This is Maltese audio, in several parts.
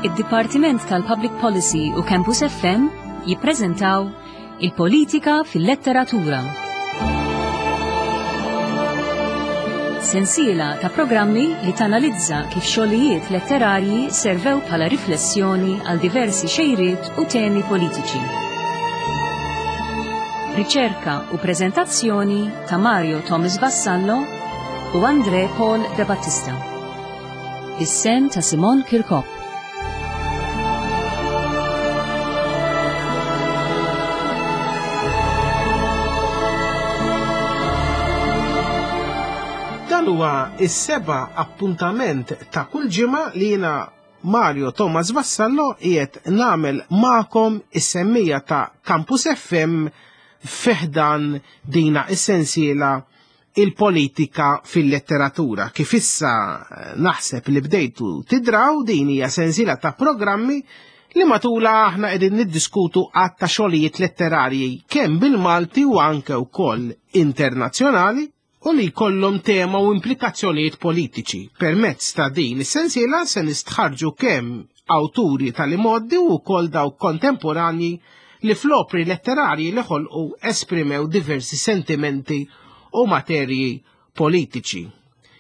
Id-Dipartiment tal-Public Policy u Campus FM jippreżentaw Il-Politika fil-Letteratura. Sensiela ta' programmi li tanalizza kif xogħlijiet letterarji servew bħala riflessjoni għal diversi xejriet u temi politiċi. Riċerka u preżentazzjoni ta' Mario Thomas Vassallo u Andre Paul De Battista. Is-sem ta' Simon Kirkop. Dan huwa is-seba' appuntament ta' kull ġimgħa li jiena Mario Thomas Vassallo qiegħed nagħmel magħkom is-semmija ta' Campus FM fiħdan dina is-sensiela il-politika fil-letteratura. Kif issa eh, naħseb li bdejtu tidraw din hija sensiela ta' programmi li matula aħna qegħdin niddiskutu għadd ta' xogħlijiet letterarji kemm bil-Malti u anke wkoll internazzjonali u li jkollhom tema u implikazzjonijiet politiċi. Permezz ta' din is-sensiela se nistħarġu kemm awturi tal-imoddi u wkoll dawk kontemporanji li fl-opri letterarji li ħolqu esprimew diversi sentimenti u materji politiċi.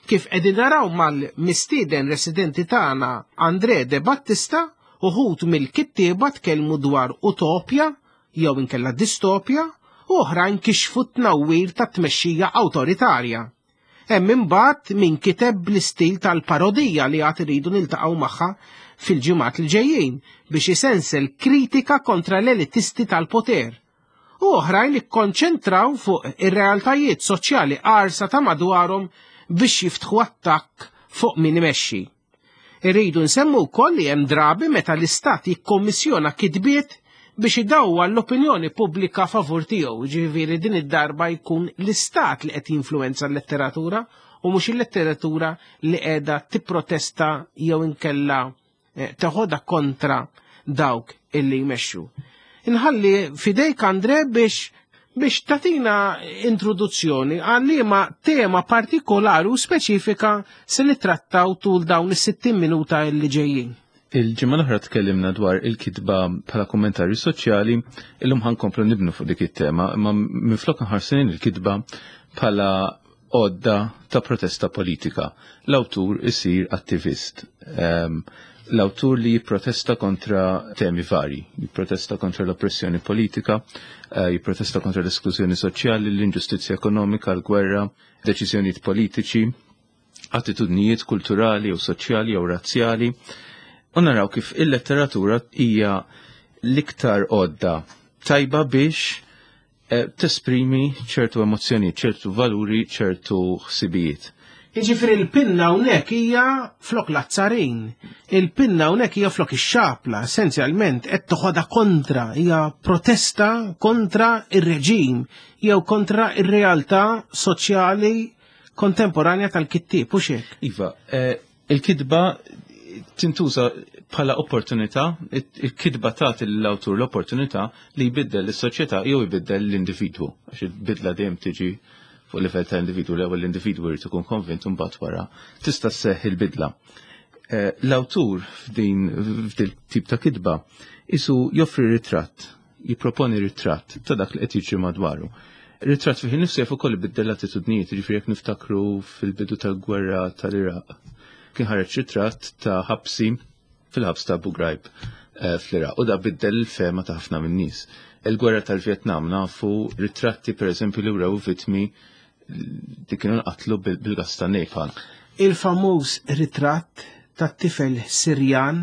Kif qegħdin naraw mal-mistieden residenti tagħna Andre De Battista, uħud mill-kittieba tkellmu dwar utopja jew inkella distopja u oħrajn kixfu t-tnawwir ta' tmexxija awtoritarja. Hemm imbagħad min kiteb bl-istil tal-parodija li għad iridu niltaqgħu magħha fil-ġimgħat li ġejjin biex isensel kritika kontra l-elitisti tal-poter. U oħrajn ikkonċentraw fuq ir-realtajiet soċjali qarsa ta' madwarhom biex jiftħu attakk fuq min imexxi. Irridu nsemmu wkoll li hemm drabi meta l-istat jikkommissjona kitbiet biex idawwa l-opinjoni pubblika favur tiegħu, ġifieri din id-darba jkun l-istat li qed jinfluwenza l-letteratura u mhux il-letteratura li qiegħda tipprotesta jew inkella eh, teħodha kontra dawk illi jmexxu. Inħalli fidejk Andre biex biex tatina introduzzjoni għal liema tema partikolari u speċifika se nittrattaw tul dawn is-60 minuta li ġejjin. Il-ġimgħa l-oħra tkellimna dwar il-kitba bħala kummentarju soċjali, illum ħankomplu nibnu fuq dik it-tema, imma minflok nħarsu il-kitba bħala għodda ta' protesta politika. L-awtur isir attivist. Ehm, l-awtur li jipprotesta kontra temi vari, jipprotesta kontra l-oppressjoni politika, eh, jipprotesta kontra l-esklużjoni soċjali, l-inġustizzja ekonomika, l-gwerra, deċiżjonijiet politiċi, attitudnijiet kulturali u soċjali jew razzjali. U naraw kif il-letteratura hija l-iktar għodda tajba biex Eh, tesprimi ċertu emozzjoni, ċertu valuri, ċertu ħsibijiet. Jiġifieri l-pinna hawnhekk hija flok l-azzarin, il-pinna hawnhekk hija flok ix-xapla, essenzjalment qed toħodha kontra, hija protesta kontra ir-reġim jew kontra ir-realtà soċjali kontemporanja tal-kittieb, u xek. Iva, eh, Il-kitba tintuża bħala opportunità, il-kitba tagħti lill-awtur l-opportunità li jbiddel is-soċjetà jew jbiddel l-individwu, għax il-bidla dejjem tiġi fuq livell ta' individwu, l-ewwel l-individwu jrid ikun konvint u mbagħad wara tista' sseħħ il-bidla. Eh, l-awtur f'din f'dil tip ta' kitba isu joffri ritratt jipproponi ritratt ta' dak li qed jiġri madwaru. Ritratt fih innifsu jaf ukoll ibiddel l-attitudnijiet, jiġifieri jekk niftakru fil-bidu tal-gwerra tal-Iraq. Kien ħareġ ritratt ta' ħabsi fil-ħabs ta' Abu Ghraib eh, fl-Iraq u da biddel il-fema ta' ħafna min-nies. Il-gwerra tal-Vjetnam nafu ritratti pereżempju li wrew vittmi li kienu nqatlu bil-gas ta' napalm. Il-famuż ritratt tat-tifel Sirjan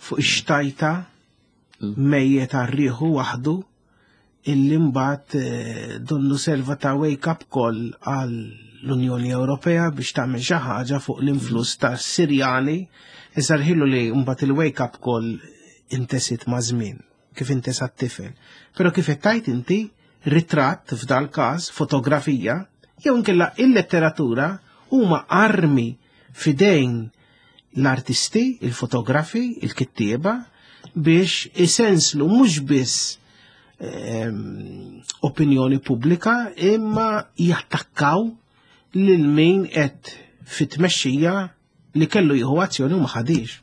fuq ix-xtajta mejjet għar-riħu waħdu illi mbagħad eh, donnu serva ta' wake up call għal l-Unjoni Ewropea biex tagħmel xi ħaġa fuq l-influss ta' Sirjani iżda rħilu li mbagħad il-wake up call intesit ma' żmien kif intesa t-tifel. Però kif qed tajt inti ritratt f'dal każ fotografija jew inkella il-letteratura huma armi fidejn l-artisti, il-fotografi, il-kittieba biex isenslu mhux biss ehm, opinjoni pubblika imma jattakkaw lil min qed fit-tmexxija li kellu jieħu azzjoni u ma ħadix.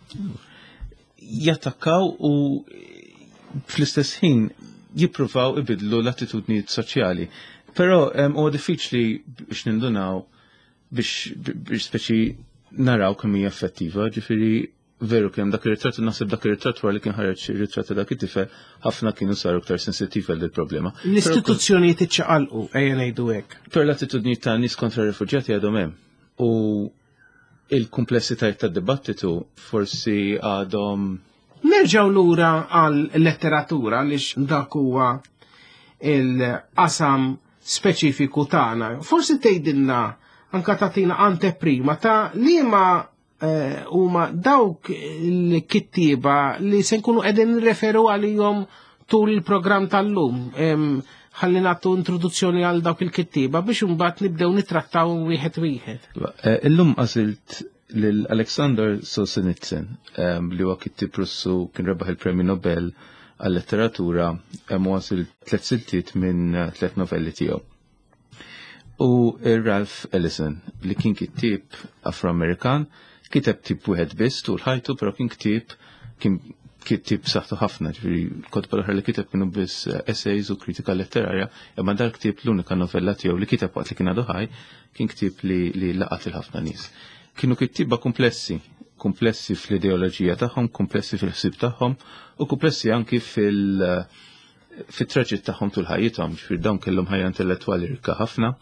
Jattakkaw u fl-istess ħin jippruvaw ibidlu l-attitudnijiet soċjali. Però huwa diffiċli biex nindunaw biex speċi naraw kemm hija effettiva, ġifieri veru kemm dak ir-ritratt naħseb dak ir-ritratt wara li kien ħareġ ir-ritratt ta' dak it-tifel ħafna kienu saru aktar sensittivi għal problema. L-istituzzjonijiet iċċaqalqu ejja ngħidu hekk. Per l-attitudnijiet ta' nies kontra r-rifuġjati għadhom hemm. U il-kumplessitajiet tad-dibattitu forsi għadhom Nerġgħu lura għal letteratura għaliex dak huwa il-qasam speċifiku tagħna. Forsi tgħidilna anka tagħtina anteprima ta' liema eh, huma dawk il-kittieba li se nkunu qegħdin nirreferu għalihom tul il-programm tal-lum. Ħalli nagħtu introduzzjoni għal dawk il-kittieba biex imbagħad nibdew nittrattaw wieħed wieħed. Eh, illum għażilt lil Alexander Solzhenitsyn li huwa kittieb Russu kien rebaħ il-Premju Nobel għal-letteratura u għażil tliet siltiet minn eh, tliet novelli tiegħu. U Ralph Ellison li kien kittieb Afro-Amerikan, kiteb tip wieħed biss tul ħajtu, però kien ktieb kien kittieb saħtu ħafna, ġifieri kotba l-oħra li kiteb kienu biss eh, essays u kritika letterarja, imma dal-ktieb l-unika novella tiegħu li kiteb waqt li kien għadu ħaj kien ktieb li, li laqat il-ħafna nies. Kienu kittieba komplessi, komplessi fl-ideoloġija tagħhom, komplessi fil-ħsieb tagħhom u komplessi anki fil- fit-traġitt tagħhom tul ħajjithom, ġifieri dawn kellhom ħajja intellettwali rikka ħafna,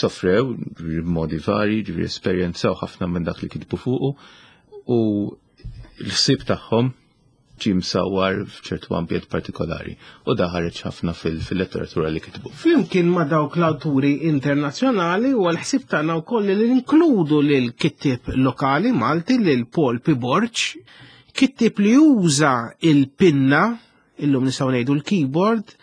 sofrew b'modi vari, ġifieri esperjenzaw ħafna minn dak li kitbu fuqu u l-ħsieb tagħhom ġie msawwar f'ċertu ambjent partikolari u da ħareġ ħafna fil-letteratura li kitbu. Flimkien ma' dawk l-awturi internazzjonali u għal-ħsieb tagħna wkoll li ninkludu lil kittieb lokali Malti lil Paul P. Borg, kittieb li juża il-pinna, illum nistgħu ngħidu l-keyboard,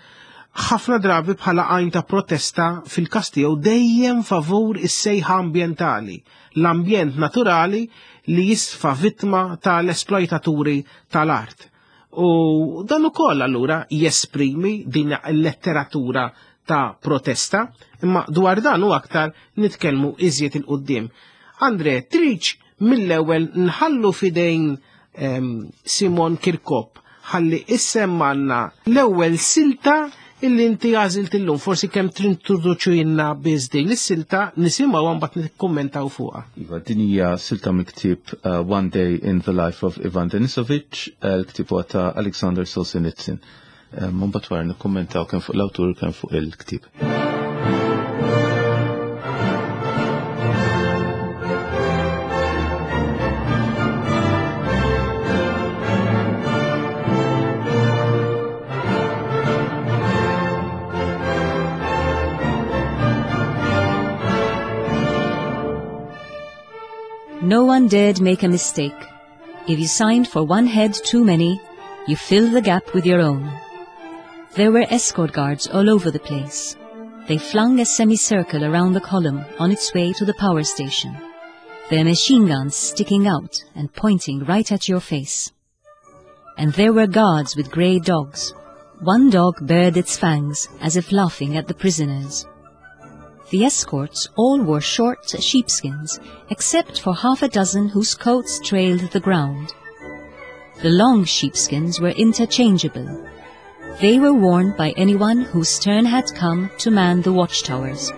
ħafna drabi bħala għajn ta' protesta fil-każ tiegħu dejjem favur is-sejħa ambjentali, l-ambjent naturali li jisfa vittma tal-esploitaturi tal-art. U dan ukoll allura jesprimi din il-letteratura ta' protesta, imma dwar dan u aktar nitkellmu iżjed il-qudiem. Andre, triċ mill-ewwel nħallu fidejn ehm, Simon Kirkop ħalli issemmanna l-ewwel silta illi inti għażilt illum, forsi kemm trintroduċinna biss din is-silta nisimgħu mbagħad nikkummentaw fuqha. Iva, din hija silta mill-ktieb uh, One Day in the Life of Ivan Denisovich, uh, l-ktieb huwa ta' Alexander Solzhenitsyn. Uh, mbagħad wara nikkummentaw kemm fuq l-awtur kemm fuq il-ktieb. No one dared make a mistake. If you signed for one head too many, you filled the gap with your own. There were escort guards all over the place. They flung a semicircle around the column on its way to the power station, their machine guns sticking out and pointing right at your face. And there were guards with grey dogs. One dog bared its fangs as if laughing at the prisoners. The escorts all wore short sheepskins, except for half a dozen whose coats trailed the ground. The long sheepskins were interchangeable. They were worn by anyone whose turn had come to man the watchtowers.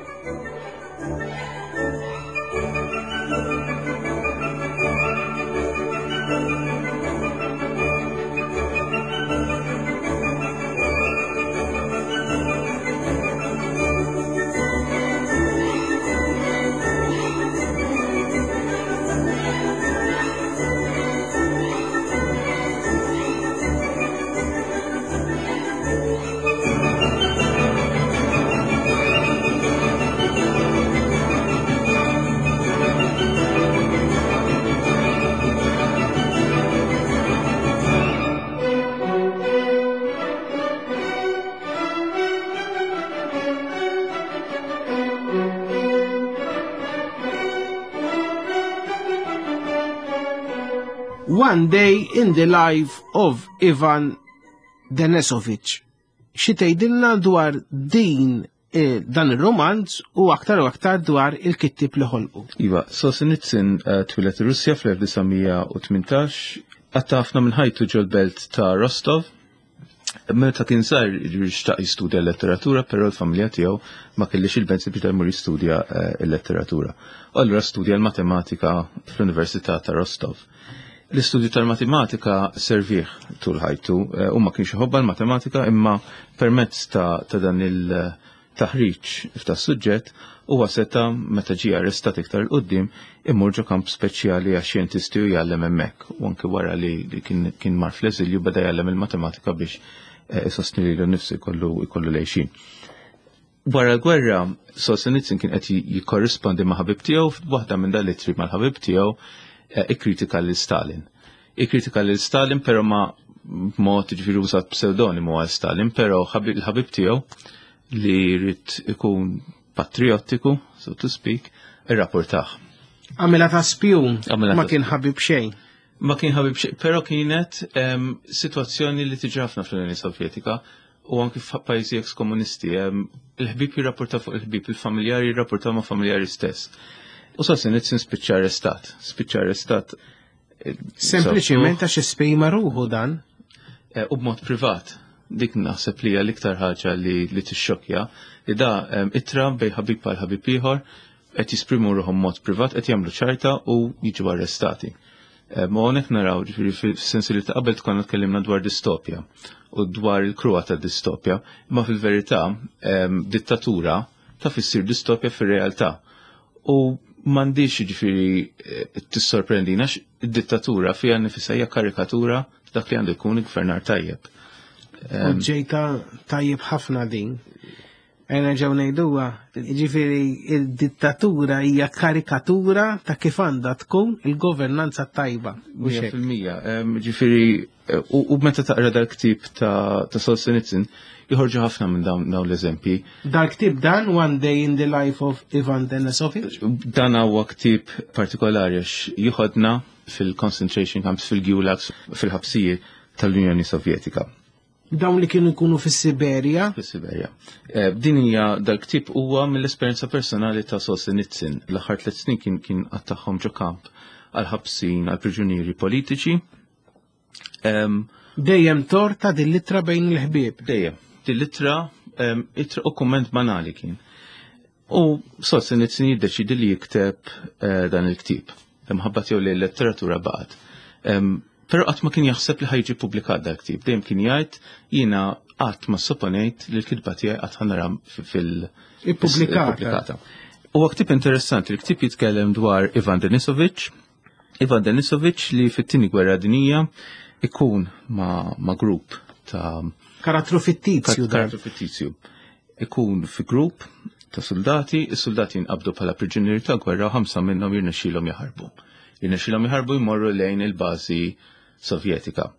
One Day in the Life of Ivan Denisovich. Xi tgħidilna dwar din eh, dan ir-romanz u aktar u aktar dwar il-kittib li ħolqu. Iva, Solzhenitsyn eh, twieled ir-Russja fl-1918. Qatta' ħafna minn ħajtu ġol-belt ta' Rostov. Meta kien żgħir xtaq jistudja l-letteratura, però l-familja tiegħu ma kellix il-mezzi biex jmur jistudja l-letteratura. U allura studja l-matematika fl-Università ta' Rostov. L-istudju tal-matematika servih tul ħajtu, u ma kienx iħobbha l-matematika, imma permezz ta' dan il-taħriġ f'ta' suġġett huwa seta' meta ġie arrestat iktar 'il quddiem imur ġo kamp speċjali għax xjentisti u jgħallem hemmhekk. U anke wara li kien mar fl-eżilju beda jgħallem il-matematika biex isostni lilu nnifsu jkollu lejxin. Wara l-gwerra, Solzhenitsyn kien qed jikkorrispondi ma' ħabib tiegħu, f'waħda minn dal-ittri mal-ħabib tiegħu ikkritika lil Stalin. Ikkritika lil Stalin però ma b'mod, ġifieri użat pseudonimu għal Stalin, però il-ħabib tiegħu li jrid ikun patriottiku, so to speak, irrapportah. Għamilha ta' spjun, Għamilha ma ta' kien spjun. ħabib xejn. Ma kien ħabib xejn, però kienet sitwazzjoni li tiġi ħafna fl-Unjoni Sovjetika u anki f'pajjiżi ex-komunisti. Il-ħbib jirrapporta fuq il-ħbib, il-familjari jirrapporta ma' familjari stess. U Solzhenitsyn spiċċa arrestat. Spiċċa arrestat. Sempliċiment għax esprima ruħu dan. U b'mod privat. Dik naħseb li hija l-iktar ħaġa li tixxokkja, li da ittra bej ħabib għal ħabib ieħor qed jisprimu ruħhom mod privat, qed jagħmlu ċajta u jiġu arrestati. Ma hawnhekk naraw, ġifieri fis-sens li ta' qabel tkun tkellimna dwar distopja u dwar il-kruha ta' distopja, imma fil-verità dittatura taf issir distopja fir-realtà. U m'għandix ġifieri tissorprendina għax id-dittatura fiha nifisha hija karikatura dak li għandu jkun il-gvernar tajjeb. U ġejta tajjeb ħafna din. Ejna ġew ngħiduha, ġifieri il-dittatura hija karikatura ta' kif għandha tkun il-governanza tajba. Mhux Mija hekk? fil-mija. Ġifieri, u meta taqra dal-ktieb ta' Solzhenitsyn, joħorġu ħafna minn dawn l-eżempji. Dal-ktieb dan, One Day in the Life of Ivan Denisovich? Dan huwa ktieb partikolari għax jieħodna fil-concentration camps, fil-gulags, fil-ħabsijiet tal-Unjoni Sovjetika. Dawn li kienu jkunu fis-Siberja? Fis-Siberja. Din hija dal-ktieb huwa mill-esperjenza personali ta' Solzhenitsyn. L-aħħar 3 snin kien qattagħhom ġo kamp għal ħabsin, għal priġunieri politiċi. Dejjem torta din l-ittra bejn il-ħbieb. Dejjem. Din l-ittra, ittra u kumment banali kien. U Solzhenitsyn jiddeċidi li jikteb dan il-ktieb. Imħabba tiegħu li l-letteratura baqgħet. Però qatt ma kien jaħseb li ħajġi ppubblikat dal-ktieb. Dejjem kien jgħid jiena qatt ma sopponejt li l-kitba tiegħi qatt ħanara fil- Ippubblikata. ippubblikata. Huwa ktieb interessanti, il-ktieb jitkellem dwar Ivan Denisovich. Ivan Denisovich li fit-tieni gwerra dinjija ikun ma' grupp ta' Karattru fittizju dan. Karattru fittizju. Ikun fi grupp ta' soldati, is-soldati jinqabdu bħala priġunieri ta' gwerra u 5 minnhom jirnexxielhom jaħarbu. Jirnexxielhom jaħarbu jmorru lejn il-bażi Sovjetika.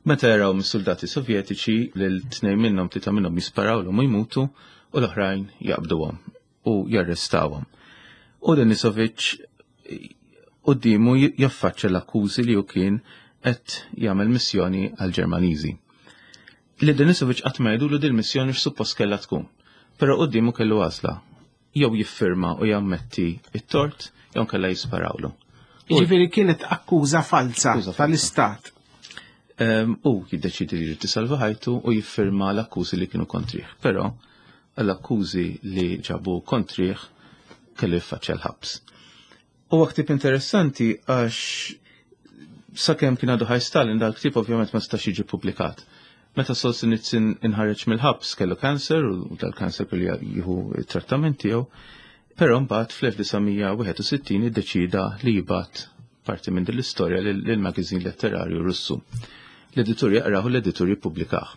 Meta jaraw mis-soldati Sovjetiċi lil 2 minnhom, 3 minnhom jisparawlhom u jmutu u l-oħrajn jaqbduhom u jarrestawhom. U Denisovich quddiemu jaffaċċja l-akkużi li hu kien qed jagħmel missjoni għall-Ġermaniżi. Li Denisovich qatt ma jgħidulu din missjoni x'suppost kellha tkun. Però quddiemu kellu għażla. Jew jiffirma u jammetti it-tort, jew kellha jisparawlu. Jiġifieri kienet akkuża falsa Akkuża falsa. tal-Istat. U jiddeċidi li jrid isalva ħajtu u jiffirma l-akkużi li kienu kontrih. Però l-akkużi li ġabu kontrih kellu jiffaċċja l-ħabs. Huwa ktieb interessanti għax sakemm kien għadu ħaj Stalin dal-ktieb ovvjament ma setax jiġi ppubblikat. Meta Solzhenitsyn inħareġ mill-ħabs kellu kanser u dal-kanser kellu jieħu t-trattament tiegħu, però mbagħad fl-1961 iddeċida li jibgħat parti minn din l-istorja lil-magazin letterarju Russu. L-editur jaqrahu, l-editur jippubblikah.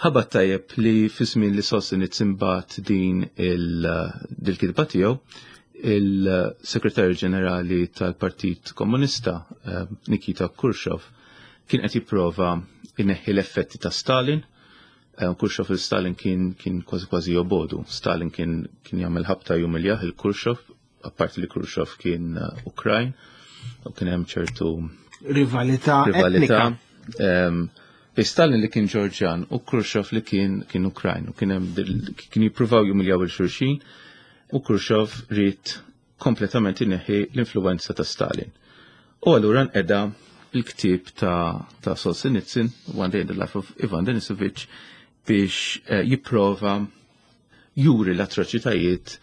Ħabat tajjeb li fi żmien li Solzhenitsyn bagħat din dil-kitba tiegħu, il-Segretarju Ġenerali tal-Partit Komunista, Nikita Khrushchev, kien qed jipprova jneħħi l-effetti ta' Stalin. Khrushchev il Stalin kien kważi kważi jobodu. Stalin kien jagħmel ħabta jumiljah il Khrushchev, apparti li Khrushchev kien Ukrajn, u kien hemm ċertu Rivalità rivalità. etnika. Bej Stalin li kien Ġorġjan u Khrushchev li kien Ukrajn, u kien hemm kien jippruvaw jumiljaw il xulxin, u Khrushchev ried kompletament ineħħi l-influenza ta' Stalin. U allura nqeda il-ktieb ta', ta Solzhenitsyn, One Day in the Life of Ivan Denisovich, biex eh, jipprova juri l-atroċitajiet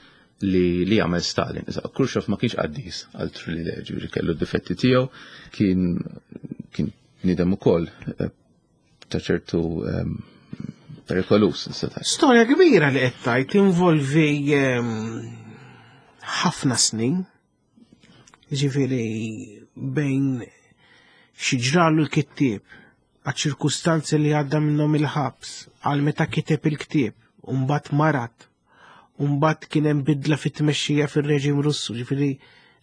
li, li għamel Stalin. Issa, Khrushchev ma kienx qaddis għal li ġifieri kellu d-difetti tiegħu, kien kien nidem ukoll eh, ta' ċertu ehm, perikolus. Storja kbira li qed tgħid involvi ehm, ħafna snin. Ġifieri bejn xi ġralu l-kittieb għaċ-ċirkustanzi li għadda minnhom il-ħabs, għal meta kiteb il-ktieb, u mbagħad marat, u mbagħad kien hemm bidla fit-tmexxija fir-reġim Russu, ġifieri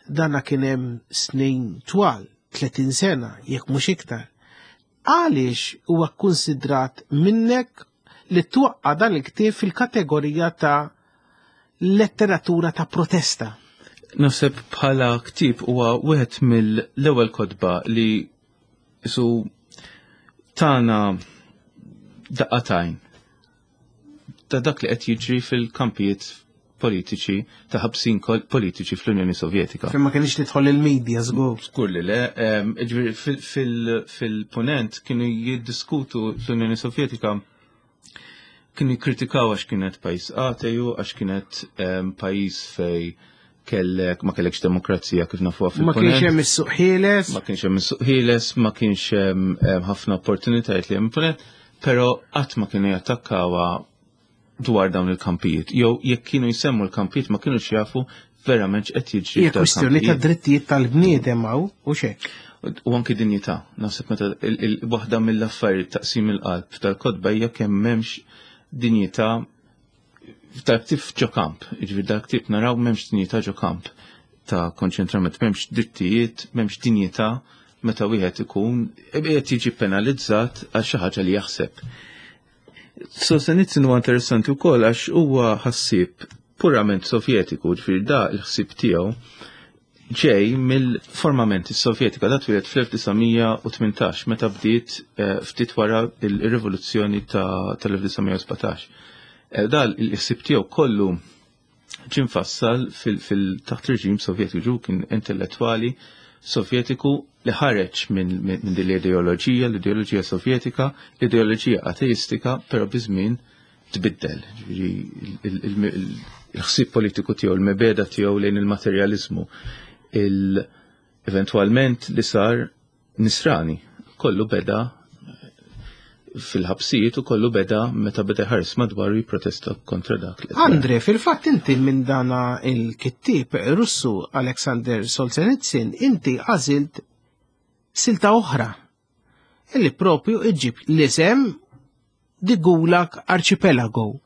dana kien hemm snin twal, 30 sena, jekk mhux iktar. Għaliex huwa kkunsidrat minnek li twaqqa' dan il-ktieb fil-kategorija ta' letteratura ta' protesta? Naħseb bħala ktieb huwa wieħed mill-ewwel kotba li isu tana daqqatajn ta' dak li qed jiġri fil-kampijiet politiċi ta' ħabsin politiċi fl-Unjoni Sovjetika. Fejn ma kienx tidħol il-medja żgur. Żgur li le, fil-punent kienu jiddiskutu l-Unjoni Sovjetika kienu jikkritikaw għax kienet pajjiż ateju, għax kienet pajjiż fej kellek ma kellekx demokrazija kif nafuha fil Ma kienx hemm is-suq ħieles. Ma kienx hemm is-suq ħieles, ma kienx hemm ħafna opportunitajiet li hemm punent, però qatt ma kienu jattakkawha dwar dawn il-kampijiet. Jew jekk kienu jsemmu l-kampijiet ma kienux jafu verament x'qed jiġri. Hija kwistjoni ta' drittijiet tal-bniedem hawn u xek. U anki dinjità. Naħseb meta waħda mill-affarijiet taqsim il-qalb tal-kotba hija kemm m'hemmx dinjità dal-ktieb ġo kamp, jiġifieri dal-ktieb naraw m'hemmx dinjità ġo kamp ta' konċentrament, m'hemmx drittijiet, m'hemmx dinjità meta wieħed ikun qed jiġi penalizzat għal xi ħaġa li jaħseb. Solzhenitsyn huwa interessanti wkoll għax huwa ħassieb purament Sovjetiku, ġifieri da l-ħsieb tiegħu ġej mill-formament Sovjetika da twieled fl-1918 meta bdiet eh, ftit wara il-rivoluzzjoni tal-1917. Eh, da l-ħsieb tiegħu kollu ġie mfassal fil-taħt reġim Sovjetiku, ġu kien intellettwali Sovjetiku li ħareġ minn min din l-ideoloġija, l-ideoloġija Sovjetika, l-ideoloġija ateistika, però biż-żmien tbiddel. Il-ħsieb politiku tiegħu, il-mebeda tiegħu lejn il-materjalizmu, il-eventwalment li sar nisrani. Kollu beda fil-ħabsijiet u kollu beda meta beda ħares madwaru jipprotesta kontra dak. Andre, fil-fatt inti minn dana il-kittib Russu Alexander Solzhenitsyn, inti għażilt silta oħra illi propju iġib l-isem The Gulag Archipelago.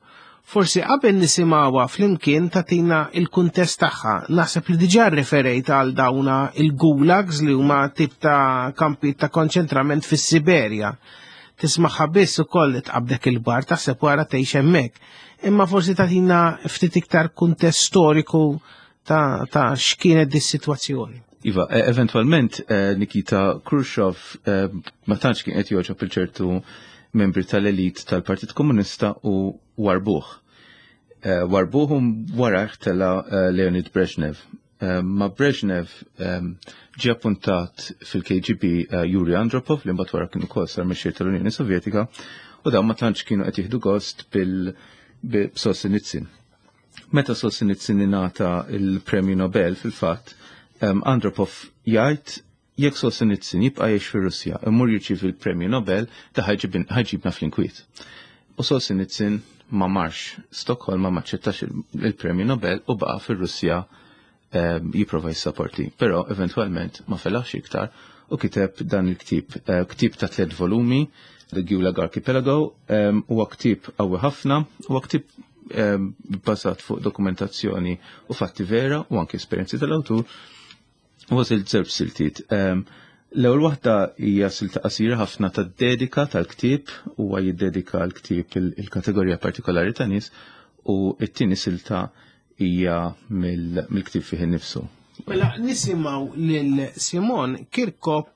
Forsi qabel nisimgħuha flimkien tagħtina il-kuntest tagħha. Naħseb li diġà rreferejt għal dawna il-gulags li huma tip ta' kampi ta' konċentrament fis-Siberja. Tismagħha biss ukoll tqabdek il-bar taħseb wara tgħix hemmhekk. Imma forsi tagħtina ftit iktar kuntest storiku ta', ta x'kienet dis-sitwazzjoni. Iva, e, eventualment eh, Nikita Khrushchev eh, ma tantx kien qed joġob il-ċertu membri tal-elit tal-Partit Komunista u warbuh. Eh, warbuh u wara tela Leonid Brezhnev. Ma Brezhnev ġie appuntat fil-KGB Yuri Andropov li mbagħad wara kien ukoll sar mexxej tal-Unjoni Sovjetika u dawn ma tantx kienu qed jieħdu gost bil-Solzhenitsyn. Meta Solzhenitsyn ingħata il-Premju Nobel fil-fatt, Andropov jgħid jekk Solzhenitsyn jibqa' jgħix fir-Russja imur jirċievi l-Premju Nobel da ħajġibna fl-inkwiet. U Solzhenitsyn ma marx Stokholma ma aċċettax il-Premju Nobel u baqa' fir-Russja jipprova jissaporti. Però eventwalment ma felaħx iktar u kiteb dan il-ktieb, eh, ktieb ta' tliet volumi, The Gulag Archipelago, huwa ktieb qawwi ħafna, huwa ktieb bbażat fuq dokumentazzjoni u fatti vera u anke esperjenzi tal-awtur. U għażilt żewġ siltiet. L-ewwel waħda hija silta qasira ħafna ta' dedika tal-ktieb, huwa jiddedika l-ktieb il-kategorija partikolari ta' nies u t-tieni silta hija mill-ktieb fih innifsu. Mela nisimgħu lil Simon Kirkop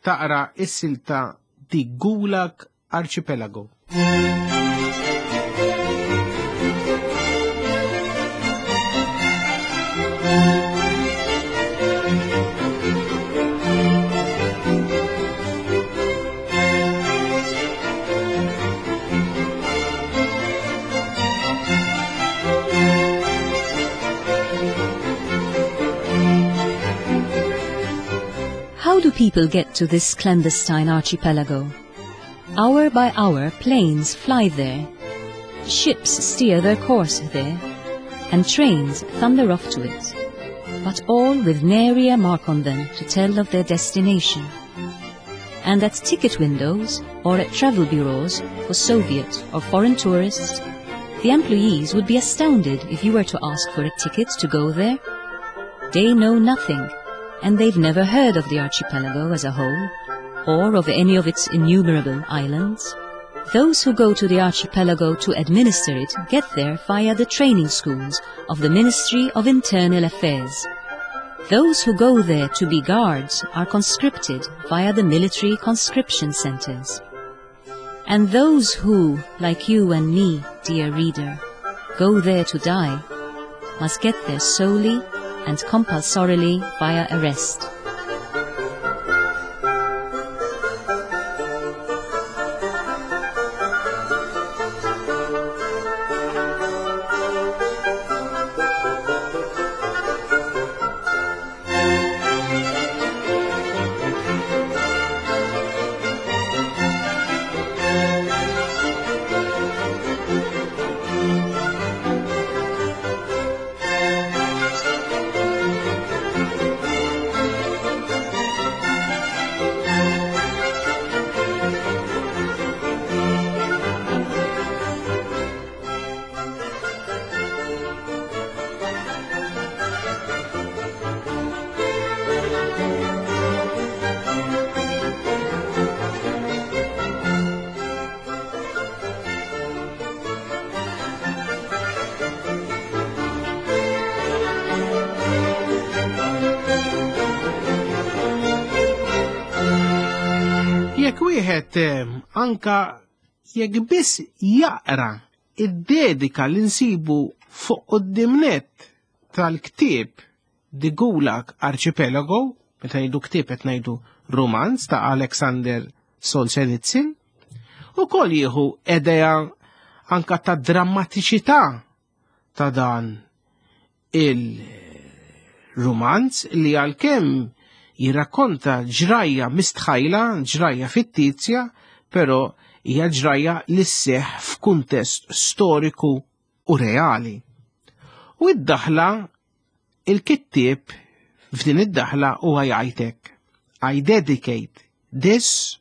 taqra s-silta The Gulag Archipelago. How do people get to this clandestine archipelago? Hour by hour, planes fly there. Ships steer their course there, and trains thunder off to it, but all with nary a mark on them to tell of their destination. And at ticket windows or at travel bureaus for Soviet or foreign tourists, the employees would be astounded if you were to ask for a ticket to go there. They know nothing, and they've never heard of the archipelago as a whole, or of any of its innumerable islands. Those who go to the archipelago to administer it get there via the training schools of the Ministry of Internal Affairs. Those who go there to be guards are conscripted via the military conscription centers. And those who, like you and me, dear reader, go there to die, must get there solely and compulsorily via arrest. Jekk wieħed eh, anka jekk biss jaqra id-dedika li nsibu fuq quddiem tal-ktieb The Gulag Archipelago, meta ngħidu ktieb qed ngħidu rumanz ta' Alexander Solzhenitsyn, ukoll jieħu idea anka ta' drammatiċità ta' dan il-rumanz li għalkemm jirrakkonta ġrajja mistħajla, ġrajja fittizja, però hija ġrajja li sseħħ f'kuntest storiku u reali. U id-daħla il-kittieb f'din id-daħla huwa jgħidlek I dedicate this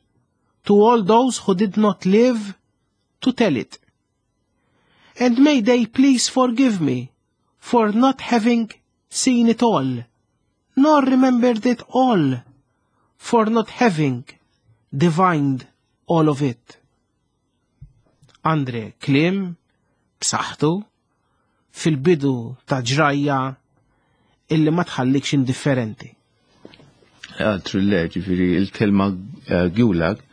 to all those who did not live to tell it. And may they please forgive me for not having seen it all, nor remembered it all, for not having divined all of it. Andre kliem b'saħħtu fil-bidu ta' ġrajja illi ma tħallikx indifferenti. Altru le, ġifieri il-kelma eh, gulag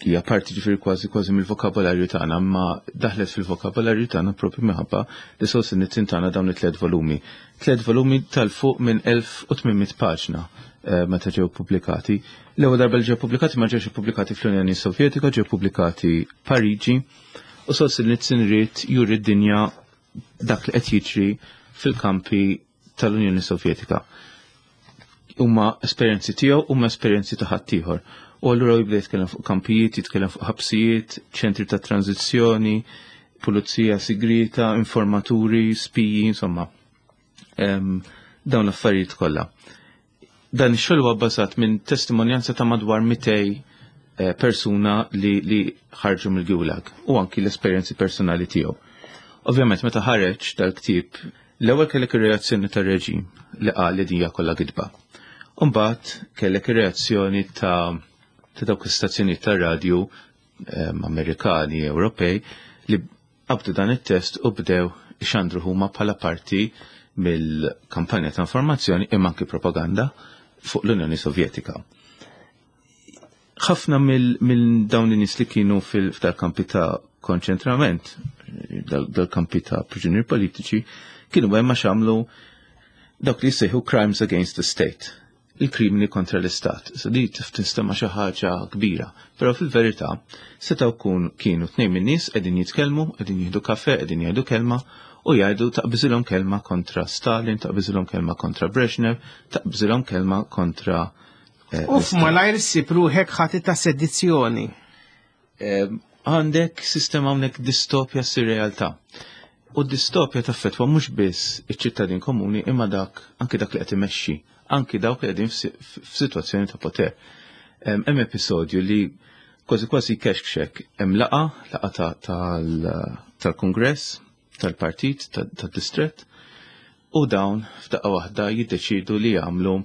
hija parti ġifieri kważi kważi mill-vokabolarju tagħna, ma daħlet fil-vokabolarju tagħna propju minħabba li Solzhenitsyn tana dawn it-tliet volumi. Tliet volumi tal-fuq minn 1800 paġna eh, meta ġew pubblikati. L-ewwel darba li ġew pubblikati ma ġewx ippubblikati fl-Unjoni Sovjetika, ġew pubblikati Pariġi u Solzhenitsyn ried juri d-dinja dak li qed jiġri fil-kampi tal-Unjoni Sovjetika. Huma esperjenzi tiegħu huma esperjenzi ta' ħaddieħor. U allura jibda jitkellem fuq kampijiet, jitkellem fuq ħabsijiet, ċentri ta' tranzizzjoni, pulizija sigrita, informaturi, spiji, insomma. Dawn l-affarijiet kollha. Dan ix-xogħol huwa bbażat minn testimonjanza ta' madwar 200 eh, persuna li, li ħarġu mill-Gulag u anki l-esperjenzi personali tiegħu. Ovvjament meta ħareġ dal-ktieb, l-ewwel kellek ir-reazzjoni tar-reġim li qal li din hija kollha gidba. Umbagħad kellek ir-reazzjoni ta' ta' dawk l-istazzjonijiet tar-radju ehm, Amerikani, Ewropej li qabdu dan it-test u bdew ixandru huma bħala parti mill-kampanja ta' informazzjoni imma anki propaganda fuq l-Unjoni Sovjetika. Ħafna mill dawn in-nies li kienu fil-kampi ta' konċentrament, dal-kampi ta' priġunieri politiċi, kienu hemm għax għamlu dawk li jsejħu crimes against the state il-krimini kontra l-istat. So di tinstema xi ħaġa kbira, però fil-verità setgħu kun kienu tnejn min-nies qegħdin jitkellmu, qegħdin jieħdu kafe, qegħdin jgħidu kelma u jgħidu taqbiżilhom kelma kontra Stalin, taqbiżilhom kelma kontra Brezhnev, taqbiżilhom kelma kontra U f'malajr ssib ruħek ħati ta' sedizzjoni. Għandek sistema hawnhekk distopja ssir realtà. U d-distopja taffettwa mhux biss iċ-ċittadin komuni imma dak anki dak li qed imexxi, anki dawk li qegħdin f'sitwazzjoni ta' poter. Hemm episodju li kważi kważi kexkxek hemm laqa, laqa tal-Kungress, tal-partit, tad-distrett, u dawn f'daqqa waħda jiddeċidu li jagħmlu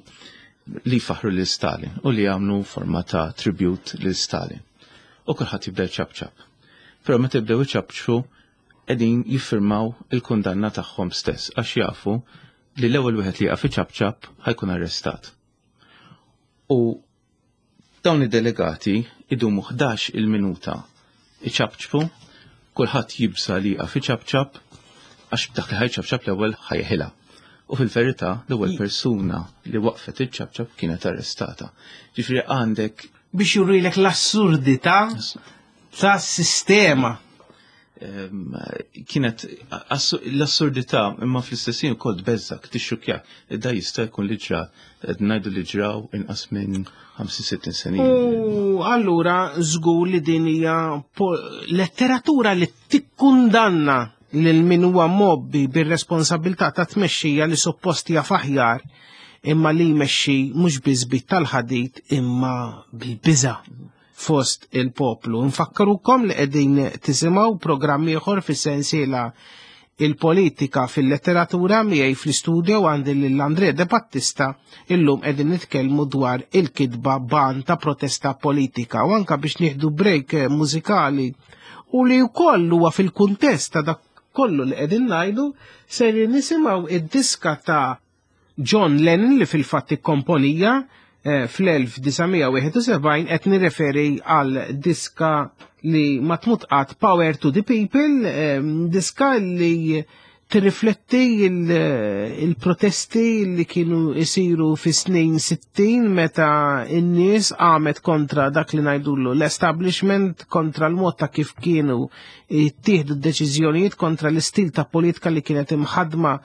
li jfaħħru lil Stalin u li jagħmlu forma ta' tribute lil Stalin. U kulħadd jibda jċapċap. Però meta jibdew iċapċpu qegħdin jiffirmaw il-kundanna tagħhom stess għax jafu li l-ewwel wieħed li jaqaf iċapċap ħajkun arrestat. U dawn id-delegati idumu 11 il-minuta iċapċpu, kulħadd jibsa li jaqaf iċapċap għax dak li ħajċapċap l-ewwel ħajħilha. U fil-verità l-ewwel persuna li waqfet iċċapċap kienet arrestata. Ġifieri għandek biex jurilek l-assurdità tas-sistema. Kienet l-assurdità imma fl-istess ħin ukoll tbeżżak, tixxukjak. Da jista' jkun li ġra, qed ngħidu li ġraw inqas minn 65 sena. U allura żgur li din hija letteratura li tikkundanna lil min huwa mobbi bir-responsabilità ta' tmexxija li suppost jaf aħjar imma li jmexxi mhux biss bit tal-ħadid imma bil-biża' fost il-poplu. Nfakkarukom li qegħdin tisimgħu programm ieħor fis-sensiela il-politika fil-letteratura miegħi fl-istudio għandi lil Andre De Battista illum qegħdin nitkellmu dwar il-kitba ban ta' protesta politika u anka biex nieħdu break mużikali u li wkoll huwa fil-kuntest ta' dak kollu li qegħdin ngħidu ser nisimgħu id-diska ta' John Lennon li fil-fatt ikkomponija fl-1971 qed nirreferi għal diska li ma tmut qatt Power to the People, diska li tirrifletti il-protesti li kienu isiru fi snin 60 meta n-nies qamet kontra dak li ngħidulu l-establishment, kontra l-mod ta' kif kienu jittieħdu d-deċiżjonijiet, kontra l-istil ta' politika li kienet imħadma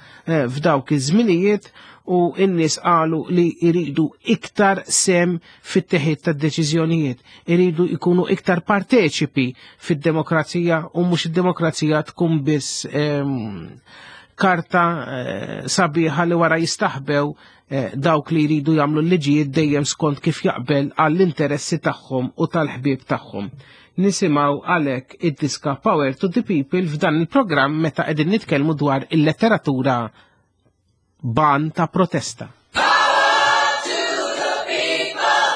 f'dawk iż-żminijiet, u n-nies qalu li jridu iktar sem fit-teħid tad-deċiżjonijiet, iridu jkunu iktar parteċipi fid-demokrazija u mhux id-demokrazija tkun biss karta sabiħa li wara jistaħbew dawk li jridu jagħmlu l-liġijiet dejjem skont kif jaqbel għall-interessi tagħhom u tal-ħbieb tagħhom. Nisimgħu għalhekk id-diska Power to the People f'dan il-programm meta qegħdin nitkellmu dwar il-letteratura ban ta' protesta. Power to the people!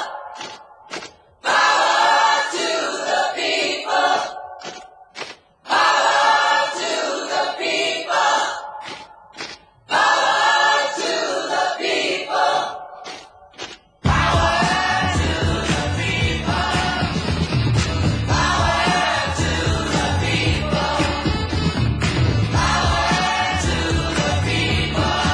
Power to the people! Power to the people! Power to the people! Power to the people! Power to the people! Power to the people!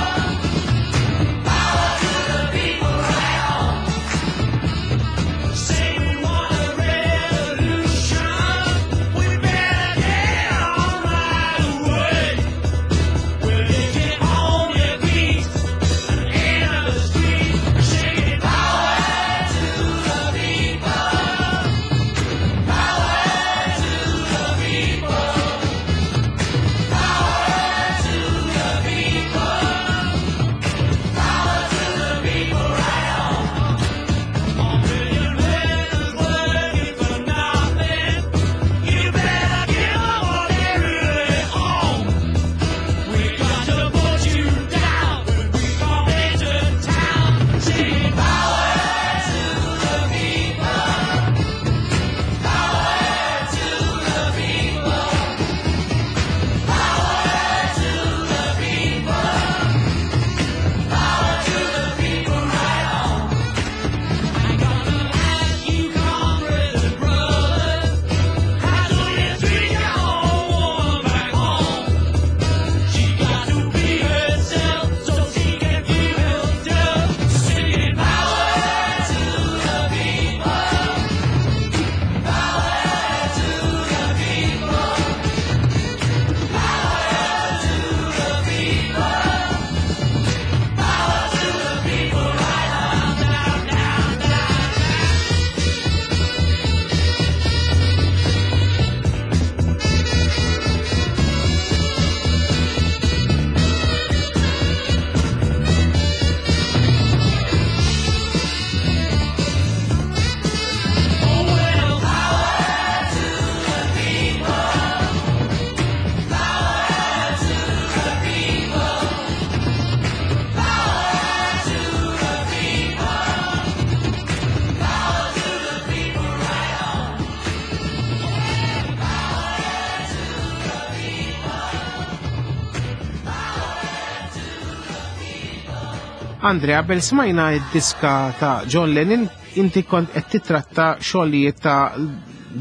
Andrea, qabel smajna id-diska ta' John Lennon, inti kont qed titratta xogħlijiet ta'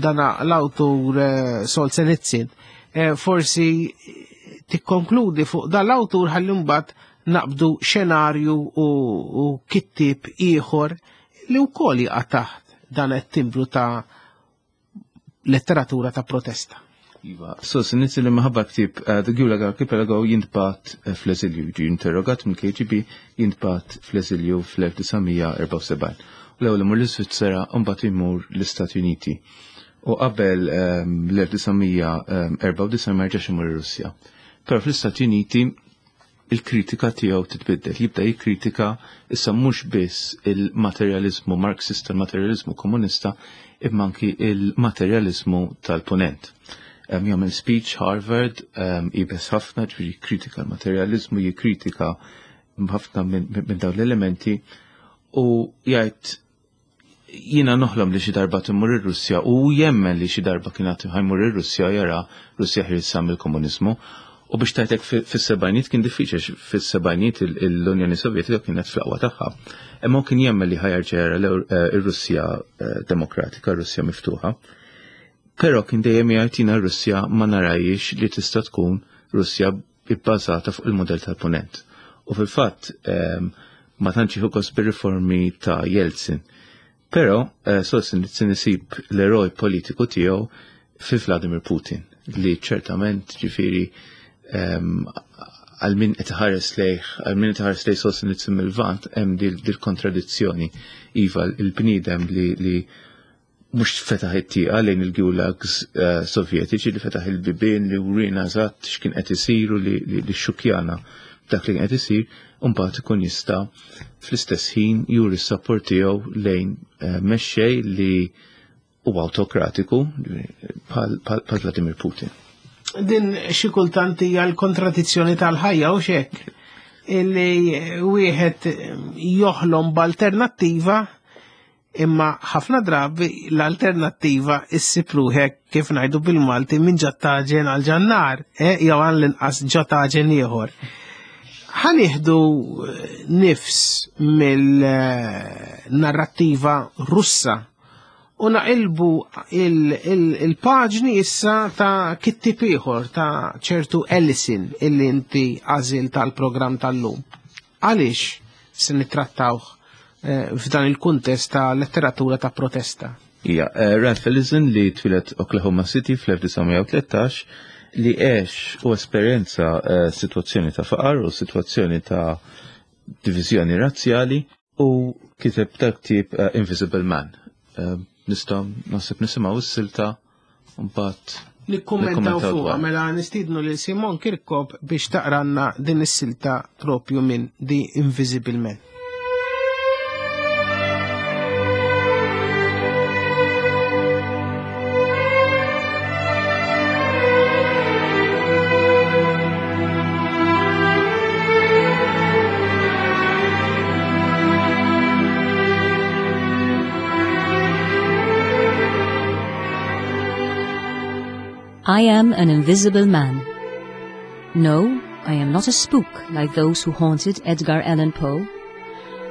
dana l-awtur eh, Solzhenitsyn. Eh, forsi tikkonkludi fuq dan l-awtur ħalli mbagħad naqbdu xenarju u, u kittib ieħor li wkoll jaqa' taħt dan it-timbru ta' letteratura ta' protesta. Iva, Solzhenitsyn li maħabba ktib eh, The Gulag Archipelago jintbat eh, fl-eżilju, ġi interrogat mill-KGB jintbat fl-eżilju fl-1974. U l-ewwel imur l-Iżvizzera u mbagħad imur l-Istati Uniti. U qabel ehm, l-1994 ma jerġax imur ir-Russja. Però fl-Istati Uniti il-kritika tiegħu titbiddel, jibda jikkritika issa mhux biss il-materjaliżmu Marxista, il-materjaliżmu komunista, imma anki il-materjaliżmu tal-punent. Jagħmel speech Harvard, ibes ħafna, ġifieri jikkritika l-materjaliżmu, jikkritika ħafna minn dawn l-elementi u jgħid jiena noħlom li xi darba timmur ir-Russja u jemmen li xi darba kien ħajmur ir-Russja jara Russja ħielsa mill-komuniżmu. U biex tajtek fis-sebgħinijiet kien diffiċli fis-sebgħinijiet l-Unjoni Sovjetika kienet fl-aqwa tagħha. Imma kien jemmen li ħajerġa' jara eh, ir-Russja eh, demokratika, Russja miftuħa. Però kien dejjem jgħid jiena r-Russja ma narajiex li tista' tkun Russja ibbażata fuq il-mudell tal-Punent. U fil-fatt ehm, ma tantx jieħu gost bir-riformi ta' Jeltsin. Però eh, Solzhenitsyn isib l-eroj politiku tiegħu fi Vladimir Putin li ċertament ġifieri ehm, għal min qed iħares lejh, għal min qed iħares lejh Solzhenitsyn mill-Lvant hemm dil-kontradizzjoni. Iva, il-bniedem li, li mhux fetaħ it-tieqa lejn il-gulags eh, sovjetiċi li fetaħ il-bibien li wrina eżatt x'kien qed isir u li xxukjana dak li kien qed isir, u mbagħad ikun jista' fl-istess ħin juri s-sapport tiegħu lejn eh, mexxej li huwa awtokratiku bħal Vladimir Putin. Din xi kultant hija l-kontradizzjoni tal-ħajja u xek illi wieħed joħlom b'alternattiva Imma ħafna drabi l-alternattiva issib ruħek kif ngħidu bil-Malti minn ġattaġen għal ġannar, eh, jew għal l-inqas ġattaġen ieħor. Ħanieħdu eh, nifs mill-narrattiva Russa u naqilbu il-paġni issa ta' kittib ieħor ta' ċertu Ellison illi inti għażil tal-programm tal-lum. Għaliex se nittrattawh eh, f'dan il-kuntest ta' letteratura ta' protesta? Ija, eh, Ralph Ellison li twilet Oklahoma City fl-1913 li għex u esperjenza eh, situazzjoni ta' faqar u situazzjoni ta' divizjoni razzjali u kiteb tal-ktib Invisible Man. Nistgħu naħseb nisimgħu s-silta mbagħad Nikkummentaw fuqha mela nistiednu lil Simon Kirkop biex taqranna din is-silta propju minn The Invisible Man. I am an invisible man. No, I am not a spook like those who haunted Edgar Allan Poe,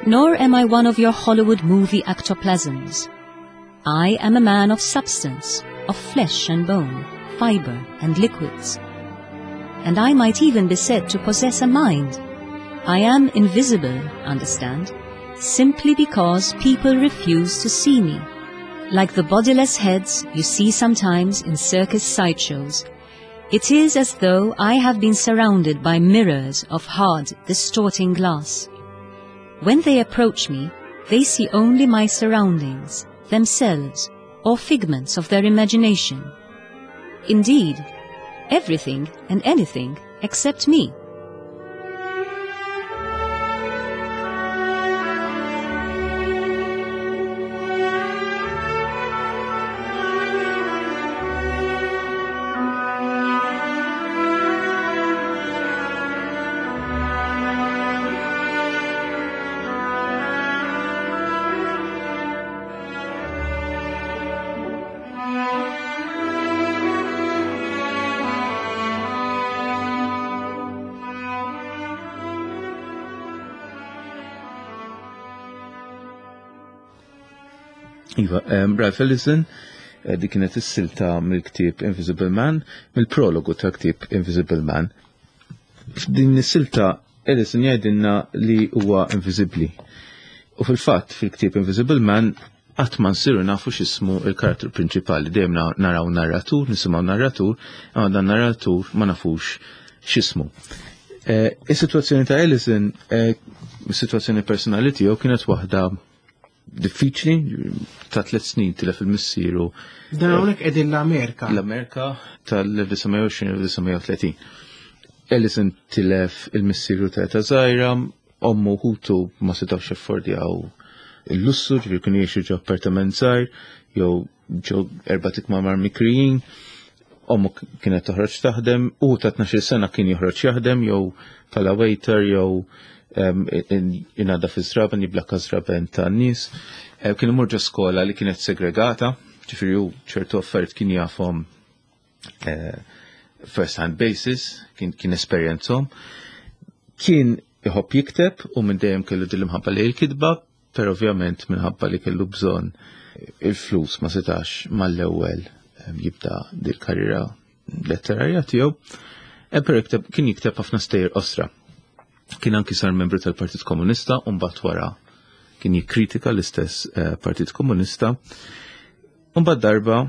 nor am I one of your Hollywood movie ectoplasms. I am a man of substance, of flesh and bone, fiber and liquids. And I might even be said to possess a mind. I am invisible, understand, simply because people refuse to see me. Like the bodiless heads you see sometimes in circus sideshows, it is as though I have been surrounded by mirrors of hard, distorting glass. When they approach me, they see only my surroundings, themselves, or figments of their imagination. Indeed, everything and anything except me. Iva, Ralph Ellison, eh, dik kienet is-silta mill-ktieb Invisible Man, mill-prologu tal-ktieb Invisible Man. F'din is-silta Ellison jgħidilna li huwa inviżibbli. U fil-fatt fil-ktieb Invisible Man qatt ma nsiru nafu x'ismu il-karattru prinċipali. Dejjem naraw narratur, nisimgħu narratur, imma dan narratur ma nafux x'ismu. Eh, is-sitwazzjoni ta' Ellison, eh, is-sitwazzjoni personali tiegħu kienet waħda diffiċli ta' tliet snin tilef il-missieru. Dan hawnhekk qegħdin l-Amerika. L-Amerika tal-1920-1930. Ellison tilef il-missieru ta' ta' żgħira, ommu ħutu ma setgħux jaffordjaw il-lussu, ġifieri kienu jgħixu ġo appartament żgħir, jew ġo erba' tikmamar mikrijin. Ommu kienet toħroġ taħdem, u ta' 12 sena kien joħroġ jaħdem jew bħala waiter jew inada fi żraben, jiblakka żraben ta' nies. Eh, kien imur ġo skola li kienet segregata, ġifieri hu ċertu affarijiet kien jafhom eh, first hand basis, kien, kien esperjenzhom. Kien iħobb jikteb u minn dejjem kellu din l-imħabba li l-kitba, però ovvjament minħabba li kellu bżonn il-flus ma setax mal-ewwel eh, jibda dil-karriera letterarja tiegħu. Però kien jikteb ħafna stejjer qosra. Kien anki sar membru tal-Partit Komunista u mbagħad wara kien jikkritika l-istess eh, Partit Komunista. U mbagħad darba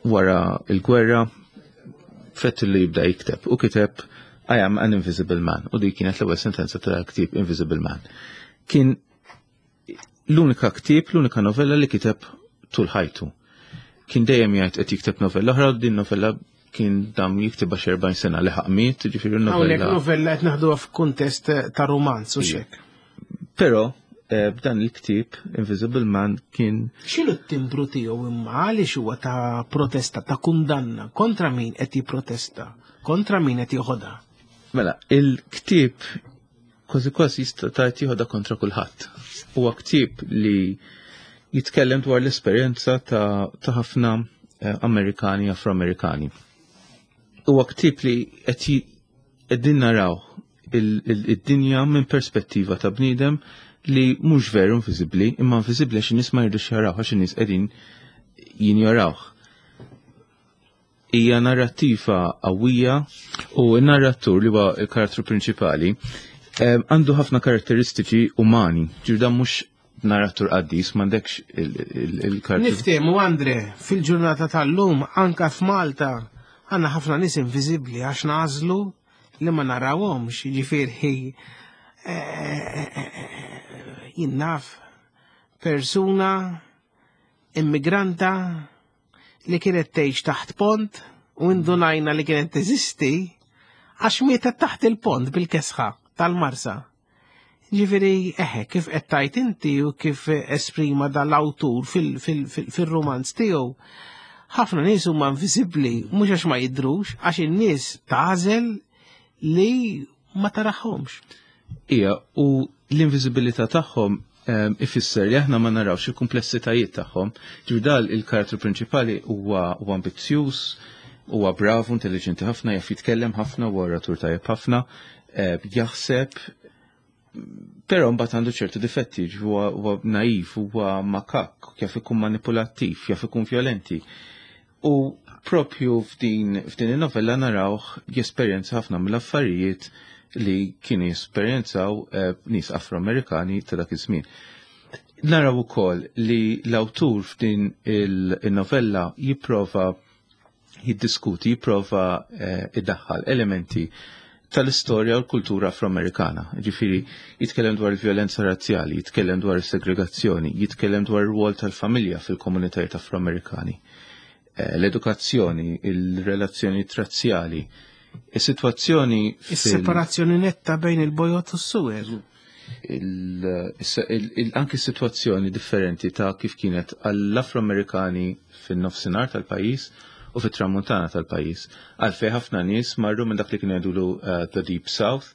wara il-gwerra fett li jibda jikteb u kiteb I am an invisible man u dik kienet l-ewwel sentenza tal-ktieb Invisible Man. Kien l-unika ktieb, l-unika novella li kiteb tul ħajtu. Kien dejjem jgħid qed jikteb novella oħra, din novella kien dam jiktibha xi 40 sena li ħaqmiet, ġifieri novella. Hawnhekk novella qed naħduha f'kuntest ta' romanz u xek. Però eh, b'dan il-ktieb Invisible Man kien X'inhu t-timbru tiegħu imma għaliex huwa ta' protesta, ta' kundanna kontra min qed jipprotesta, kontra min qed joħodha? Mela, il-ktieb kważi kważi jista' tgħid jieħodha kontra kulħadd. Huwa ktieb li jitkellem dwar l-esperjenza ta' ħafna eh, Amerikani Afroamerikani. Huwa ktieb li qed qegħdin naraw id-dinja minn perspettiva ta' bniedem li mhux veru inviżibbli, imma inviżibbli għax in-nies ma jridux jaraw għax in-nies qegħdin jinjorawh. Hija narrattiva qawwija u n-narratur li huwa l-karattru prinċipali eh, għandu ħafna karatteristiċi umani, ġir dan mhux narratur qaddis, m'għandekx il-karattru. Niftehmu Andre, fil-ġurnata tal-lum anka f'Malta għandna ħafna nies inviżibbli għax nażlu li ma narawhomx, jiġifieri eh, eh, jien naf persuna immigranta li kienet tgħix taħt pont u indunajna li kienet teżisti għax mietet taħt il-pont bil-kesħa tal-Marsa. Ġifieri, eħe, kif qed tajt inti u kif esprima dal-awtur fil-romanz tiegħu, ħafna nies huma inviżibbli mhux għax ma jidhrux, għax in-nies tagħżel li ma taraħomx. Ija, u l-inviżibilità tagħhom ehm, ifisser li aħna ma narawx il-kumplessitajiet tagħhom. Ġifieri dal il-karattru prinċipali huwa ambizzjuż, huwa bravu, intelligenti ħafna, jaf jitkellem ħafna, huwa oratur tajjeb ħafna, eh, jaħseb, però mbagħad għandu ċertu difetti, huwa naiv, huwa makak, jaf ikun manipulattiv, jaf ikun violenti. U propju f'din f'din in-novella narawh jesperjenza ħafna mill-affarijiet li kienu jesperjenzaw eh, nies Afro-Amerikani ta' dak iż-żmien. Naraw ukoll li l-awtur f'din il-novella jipprova jiddiskuti, jipprova eh, iddaħħal elementi tal-istorja u l-kultura afroamerikana. Ġifiri, jitkellem dwar il-violenza razzjali, jitkellem dwar is-segregazzjoni, jitkellem dwar ir-rwol tal-familja fil-komunitajiet afroamerikani, eh, l-edukazzjoni, il-relazzjoni razzjali, is-sitwazzjoni. Is-separazzjoni netta bejn il-bojot u s-suwed. Anki situazzjoni differenti ta' kif kienet għall-Afroamerikani fin-nofsinhar tal-pajjiż u fit-tramuntana tal-pajjiż. Għalfejn ħafna nies marru minn dak li kien jgħidulu eh, the Deep South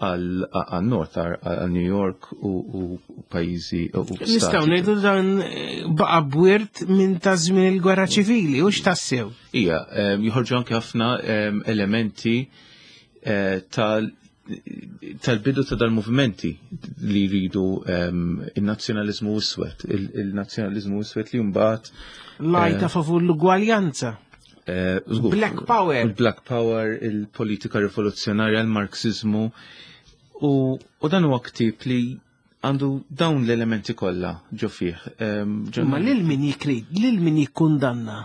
għal North, għal New York u pajjiżi u Nistgħu ngħidu dan eh, baqa' bwirt minn ta' żmien il-gwerra ċivili u x'tassew. Ija, eh, joħorġu anke ħafna elementi tal tal-bidu ta' dal-movimenti li jridu il-nazzjonalizmu iswed, il-nazzjonalizmu iswed li mbagħad Lajta favur l-ugwaljanza. Black Power. Il-Black Power, il-politika rivoluzzjonarja, il-Marxizmu. U dan huwa ktieb li għandu dawn l-elementi kollha ġo fih. Ma lil min jikrid, lil min jikkundanna.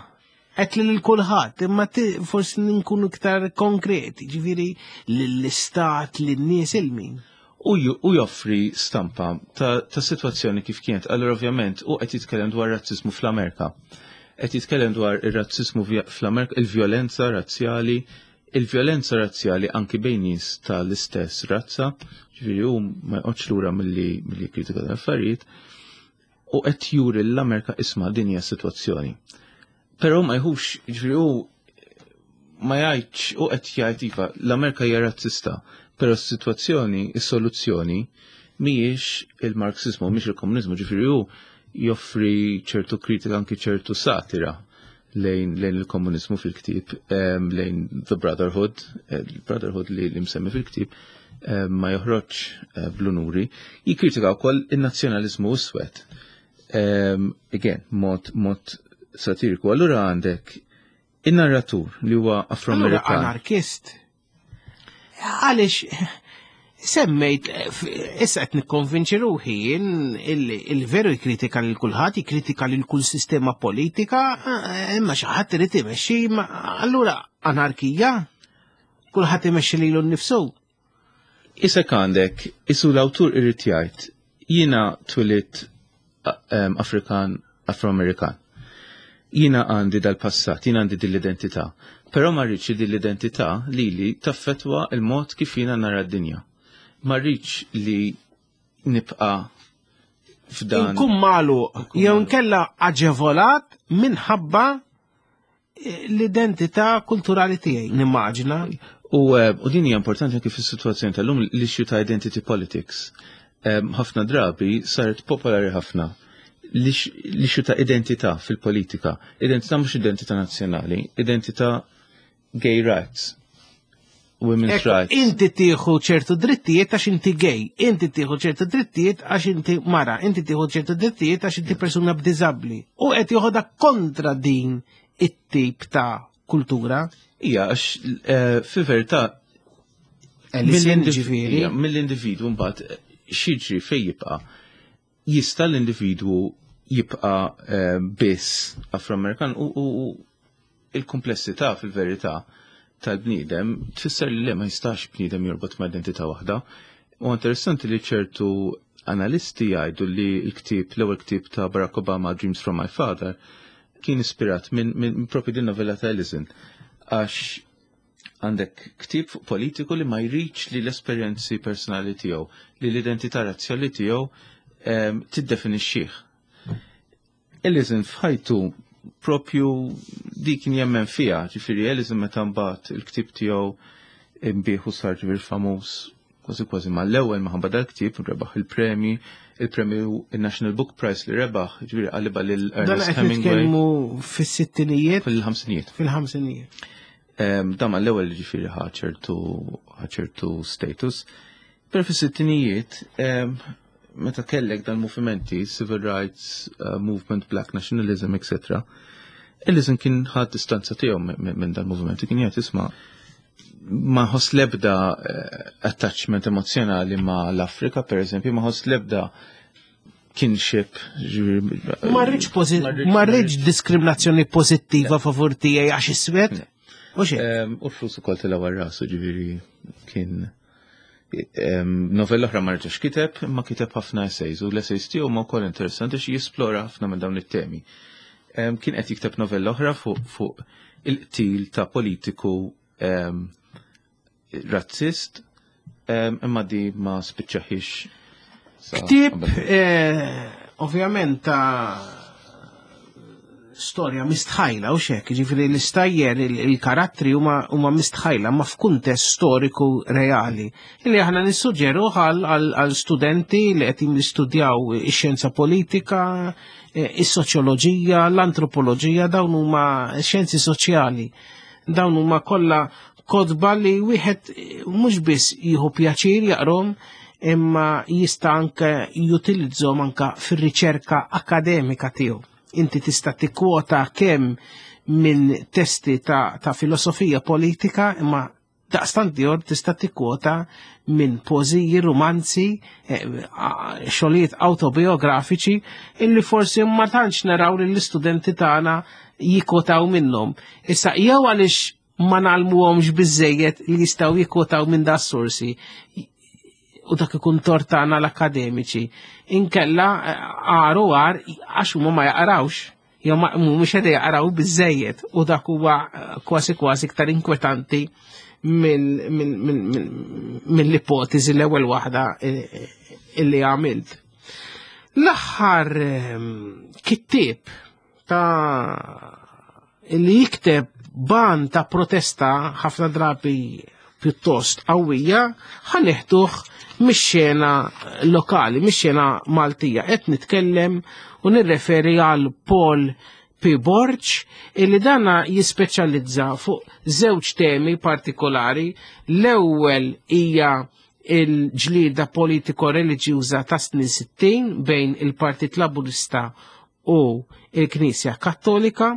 Qed lil kulħadd, imma forsi nkunu iktar konkreti, ġifieri lill-istat, lin-nies il-min. U joffri stampa ta' situazzjoni kif kienet. Allora ovvjament u qed jitkellem dwar razzizmu fl-Amerika. Qed jitkellem dwar ir-razzizmu fl-Amerika, il-vjolenza razzjali, il-vjolenza razzjali anki bejn nies tal-istess razza, ġifieri hu ma jqgħodx lura milli kritika tal-affarijiet, u qed juri l-Amerika isma' din hija sitwazzjoni. Però ma jħux, ġifieri hu ma jgħidx, u qed jgħid iva, l-Amerika hija razzista, però s-sitwazzjoni, is-soluzzjoni mhijiex il-Marxizmu, mhijiex il-komuniżmu, ġifieri hu joffri ċertu kritika anki ċertu satira lejn il-komuniżmu fil-ktieb, lejn The Brotherhood, il-Brotherhood li msemmi fil-ktieb, ma joħroġ bl-unuri, jikkritika wkoll in-nazzjonaliżmu iswed. Again, mod satiriku. Allura għandek in-narratur li huwa Afroamerikan. Anarkist. Għaliex semmejt, issa qed nikkonvinċi ruħi il-veru jkritika lil kulħadd, jikkritika lil kull sistema politika, imma xi ħadd irid imexxi, allura anarkija, kulħadd imexxi lilu nnifsu. Isek għandek, isu l-awtur irid jgħid, jiena twilit Afrikan, Afroamerikan. Jiena għandi dal-passat, jiena għandi dil-identità. Però ma rridx li dil-identità li taffetwa il-mod kif jiena nara d-dinja. Ma rridx li nibqa' f'dan. Inkun magħluq, jew nkella aġevolat minħabba l-identità kulturali tiegħi, nimmaġina. U din hija importanti anke fis-sitwazzjoni tal-lum l-issue ta' identity politics. Ħafna drabi saret popolari ħafna l-issue ta' identità fil-politika. Identità mhux identità nazzjonali, identità gay rights, women's rights. Inti tieħu ċertu drittijiet għax inti gay, inti tieħu ċertu drittijiet għax inti mara, inti tieħu ċertu drittijiet għax inti persuna b'diżabbli. U qed joħodha kontra din it-tip ta' kultura. Ija, għax fil-verità mill-individwu mbagħad x'jiġri fejn jibqa'. Jista' l-individwu jibqa' biss Afroamerikan u il-komplessità fil-verità tal-bniedem tfisser li ma jistax bniedem jorbot ma' identità waħda. U interessanti li ċertu analisti jgħidu li l-ktieb, l-ewwel ktieb ta' Barack Obama, Dreams from My Father, kien ispirat minn propju din novella ta' Ellison. Għax għandek ktieb fuq politiku li ma jridx li l-esperjenzi personali tiegħu, li l-identità razzjali tiegħu tiddefinixxih. Ellison f'ħajtu propju dik kien jemmen fiha, ġifieri Ellison meta mbagħad il-ktieb tiegħu imbieħu sar ġifieri famuż kważi kważi mal-ewwel minħabba dal-ktieb rebaħ il-premji, il-premju il-National Book Prize li rebaħ, ġifieri qalibha lil Ernest Hemingway. Nitkellmu fis-sittinijiet? Fil-ħamsinijiet. Fil-ħamsinijiet. Dan mal-ewwel ġifieri ħa ċertu status. Però fis-sittinijiet, meta kellek dal-movimenti, Civil Rights Movement, Black Nationalism, etc., Ellison kien ħad distanza tiegħu minn dal-movimenti, kien jgħid isma' ma ħoss lebda attachment emozjonali ma l-Afrika, per eżempju, ma ħoss lebda kinship. Ma rridx diskriminazzjoni pożittiva favur tiegħi għax iswed. U xejn. U l-flus ukoll tilgħu għar-rasu, ġifieri kien novella oħra ma rġax kiteb, imma kiteb ħafna essays, u l-essays tiegħu ma wkoll interessanti xi jisplora ħafna minn dawn it-temi. Kien qed jikteb novella oħra fuq il-qtil ta' politiku razzist, imma di ma spiċċaħiex. Ktieb, ovvjament ta' storja mistħajla u xek, ġifieri l-istajjer, il-karattri huma mistħajla ma f'kuntest storiku reali. Illi aħna nissuġġeru għal studenti li qed jistudjaw ix-xjenza politika, is-soċjoloġija, l-antropoloġija, dawn huma xjenzi soċjali. Dawn huma kollha Kotba li wieħed mhux biss jieħu pjaċir jaqrom imma jista' anke jutilizzhom anke fir-riċerka akademika tiegħu. Inti tista' tikkwota kemm minn testi ta', ta filosofija politika imma daqstant ieħor tista' tikkwota minn poeżiji, rumanzi, eh, xogħlijiet awtobiografiċi illi forsi ma tantx naraw li l-istudenti tagħna jikkwotaw minnhom. Issa jew għaliex ma nagħlmuhomx biżejjed li jistgħu jikkwotaw minn da sorsi u dak ikun tortana l-akademiċi. Inkella għaru għar għax huma ma jaqrawx jew ma mhumiex qed jaqraw biżejjed u dak huwa kważi kważi iktar inkwetanti mill-ipotezi l-ewwel waħda illi għamilt. L-aħħar kittieb ta' li jikteb ban ta' protesta ħafna drabi pjuttost qawwija ħaneħduh mix-xena lokali, mix-xena Maltija. Qed nitkellem u nirreferi għal Paul P. Borg illi dana jispeċjalizza fuq żewġ temi partikolari. L-ewwel hija il-ġlieda politiko-reliġjuża ta' snin 60 bejn il-Partit Laburista u il-Knisja Kattolika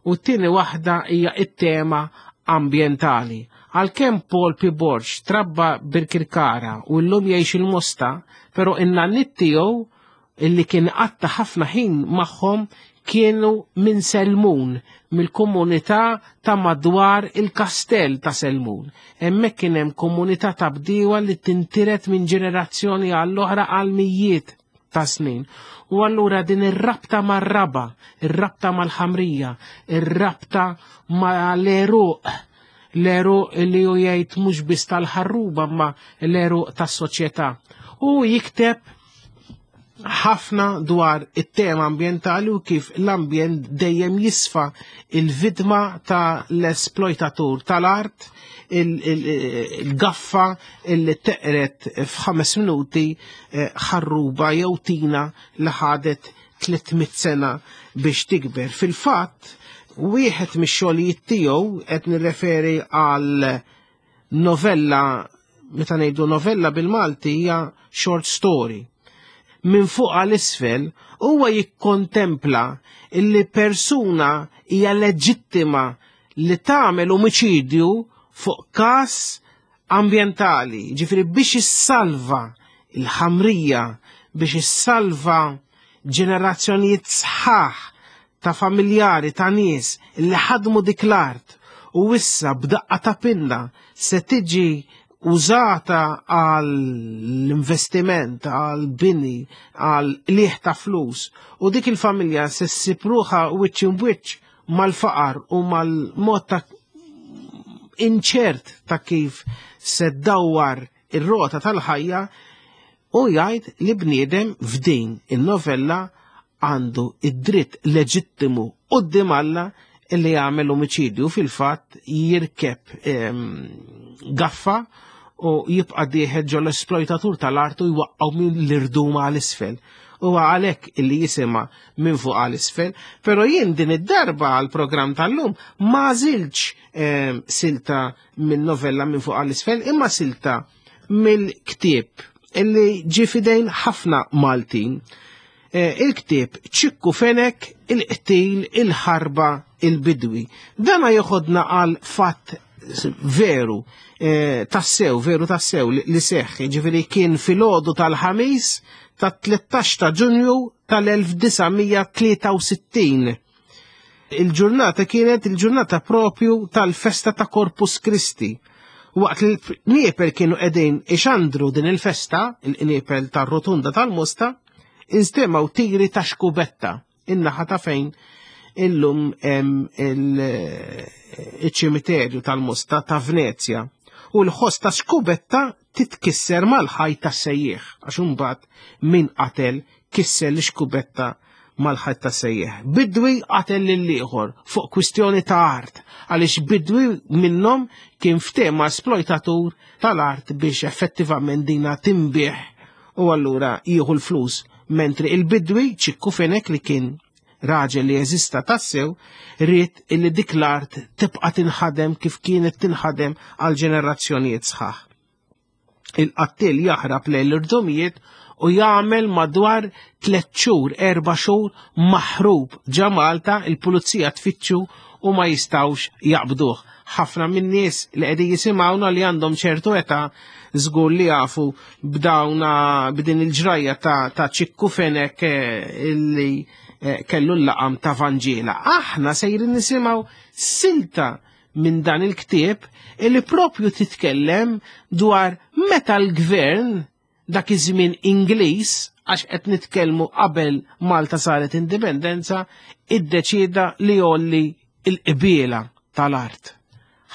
u t-tieni waħda hija it-tema ambjentali. Għalkemm Paul P. Borg trabba Birkirkara u llum jgħix il-Mosta, però in-nanniet tiegħu illi kien qatta ħafna ħin magħhom kienu minn Selmun, mill-komunità ta' madwar il-kastell ta' Selmun. Hemmhekk kien hemm komunità ta' bdiewa li tintiret minn ġenerazzjoni għall-oħra għal mijiet ta' snin. U allura din ir-rabta mar-raba, ir-rabta mal-ħamrija, ir-rabta mal-għeruq, l-għeruq li hu jgħid mhux biss tal-ħarruba ma l-għeruq tas-soċjetà. U jikteb ħafna dwar it-tema ambjentali u kif l-ambjent dejjem jisfa il-vidma ta' l-esploitatur tal-art, il-gaffa illi teqret f'ħames minuti eh, ħarruba jew tina li ħadet 300 sena biex tikber. Fil-fatt, wieħed mix-xogħlijiet tiegħu qed nirreferi għal novella, meta ngħidu novella bil-Malti hija short story. Minn fuq għal isfel huwa jikkontempla illi persuna hija leġittima li tagħmel omiċidju fuq każ ambjentali, ġifieri biex issalva il-ħamrija, biex issalva ġenerazzjonijiet sħaħ ta' familjari ta' nies li ħadmu dik l-art u issa b'daqqa ta' pinna se tiġi użata għall-investiment, għall-bini, għal liħ ta' flus u dik il-familja se ssib ruħha wiċċ imwiċċ mal-faqar u mal-mod ta' inċert ta' kif se ddawwar ir-rota tal-ħajja u jgħid li bniedem f'din in-novella għandu id-dritt leġittimu quddiem Alla li jagħmel omiċidju fil-fatt jirkeb ehm, gaffa u jibqa' dieħel ġol esploitatur tal-art u jwaqqgħu minn l-irduma għal isfel. U għalhekk illi jisimha minn fuq għal isfel, però jien din id-darba għal programm tal-lum ma żilx ehm, silta minn novella minn fuq għal isfel, imma silta mill-ktieb illi ġie fidejn ħafna Maltin. Eh, il-ktieb ċikku Fenek, il-qtil, il-ħarba, il-bidwi. Dana joħodna għal fatt veru, eh, tassew, veru tassew li seħħ, ġifiri kien filgħodu tal-ħamis ta' 13 ta' Ġunju tal-1963. Il-ġurnata kienet il-ġurnata propju tal-festa ta' Corpus Christi. Waqt li l-qniepel kienu qegħdin ixandru din il-festa, il-qniepel tar-rotunda tal-Mosta, instemaw tiri ta' xkubetta in-naħa ta' fejn illum hemm il-ċimiterju tal-Mosta ta' Venezja. U l-ħoss ta' xkubetta titkisser mal-ħajt tas-sejjieħ, għax imbagħad min qatel kisser l-ixkubetta mal-ħajt tas-sejjieħ. Bidwi qatel lil ieħor fuq kwistjoni ta' art, għaliex bidwi minnhom kien ftehma esploitatur tal-art biex effettivament dina tinbiegħ u allura jieħu l-flus, mentri il-bidwi Ċikku Fenek li kien raġel li jeżista tassew, ried illi dik l-art tibqa' tinħadem kif kienet tinħadem għal ġenerazzjonijiet sħaħ. Il-qattil jaħrab lejn l-irdumijiet u jagħmel madwar tliet xhur, erba' xhur maħrub ġa Malta, il-pulizija tfittxu u ma jistgħux jaqbduh. Ħafna min-nies li qegħdin jisimgħuna li għandhom ċertu età żgur li jafu b'dawna b'din il-ġrajja ta', ta Ċikku Fenek eh, illi eh, kellu l-laqam ta' Vanġela. Aħna sejrin nisimgħu silta minn dan il-ktieb illi propju titkellem dwar meta l-gvern dak iż-żmien Ingliż għax qed nitkellmu qabel Malta saret indipendenza, iddeċieda li jolli l-qbiela tal-art.